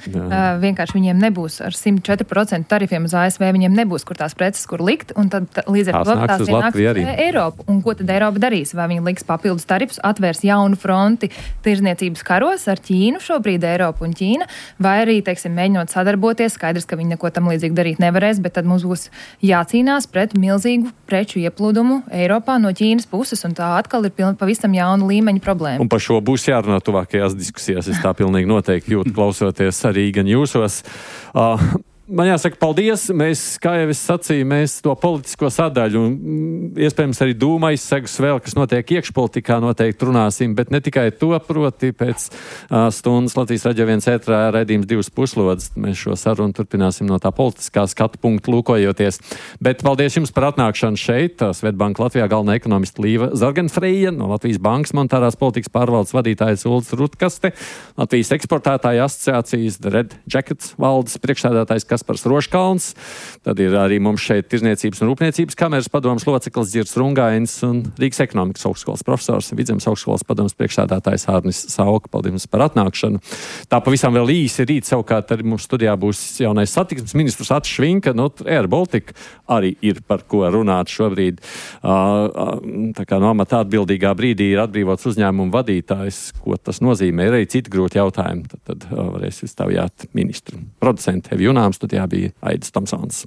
Vienkārši viņiem nebūs ar simt četri procenti tarifiem uz A S V, viņiem nebūs, kur tās preces, kur likt, un tad līdz ar to tās ienāks uz Eiropu. Un ko tad Eiropa darīs? Vai viņi liks papildus tarifus, atvērs jaunu fronti tirzniecības karos ar Ķīnu, šobrīd Eiropu un Ķīna, vai arī, teiksim, mēģinot sadarboties, skaidrs, ka viņi neko tam līdzīgi darīt nevarēs, bet tad mums būs jācīnās pret milzīgu preču ieplūdumu Eiropā no Ķīnas puses, un tā atkal ir piln, pavisam jauna līmeņa problēma. Un par šo būs jārunā tuvākajās diskusijās, es tā pilnīgi noteikti jūtu, klausoties arī gan jūsos. Uh, Man jāsaka paldies, mēs, kā jau es sacīju, mēs to politisko sadaļu un iespējams arī dūma izsegus vēl, kas notiek iekšpolitikā, noteikti runāsim, bet ne tikai to, proti pēc uh, stundas Latvijas radio viens ētrā raidījums divas puslodes. Mēs šo sarunu turpināsim no tā politiskā skatu punktu lūkojoties. Bet paldies jums par atnākšanu šeit. Svetbanka Latvijā galvenā ekonomista Līva Zarganfreja, no Latvijas bankas monetārās politikas pārvaldes vadītājs Ulds Rutkaste, Latvijas eksportētāja asociācijas The Red Jackets valdes priekšsēdētājs Kaspars Roškalns, tad ir arī mums šeit Tirzniecības un Rūpniecības kameras padomas loceklis Dzirds Rungains un Rīgas ekonomikas augstskolas profesors, Vidzemes augstskolas padomas priekšsēdētājs Hārnis Sauka. Paldies par atnākšanu. Tā pavisam vēl īsi rīt savukārt arī mums studijā būs jaunais satiksmes ministrs Atis Švinka, no Air Baltica arī ir par ko runāt šobrīd. Tā kā no amata atbildīgā brīdī ir atbrīvots uzņēmumu vadītājs, ko tas nozīmē, ir arī citi grūti jautājumi. Tad, tad varēs izstāvjāt ministru. Producenti Evi Junāms, studijā bija Aidis Tomsons.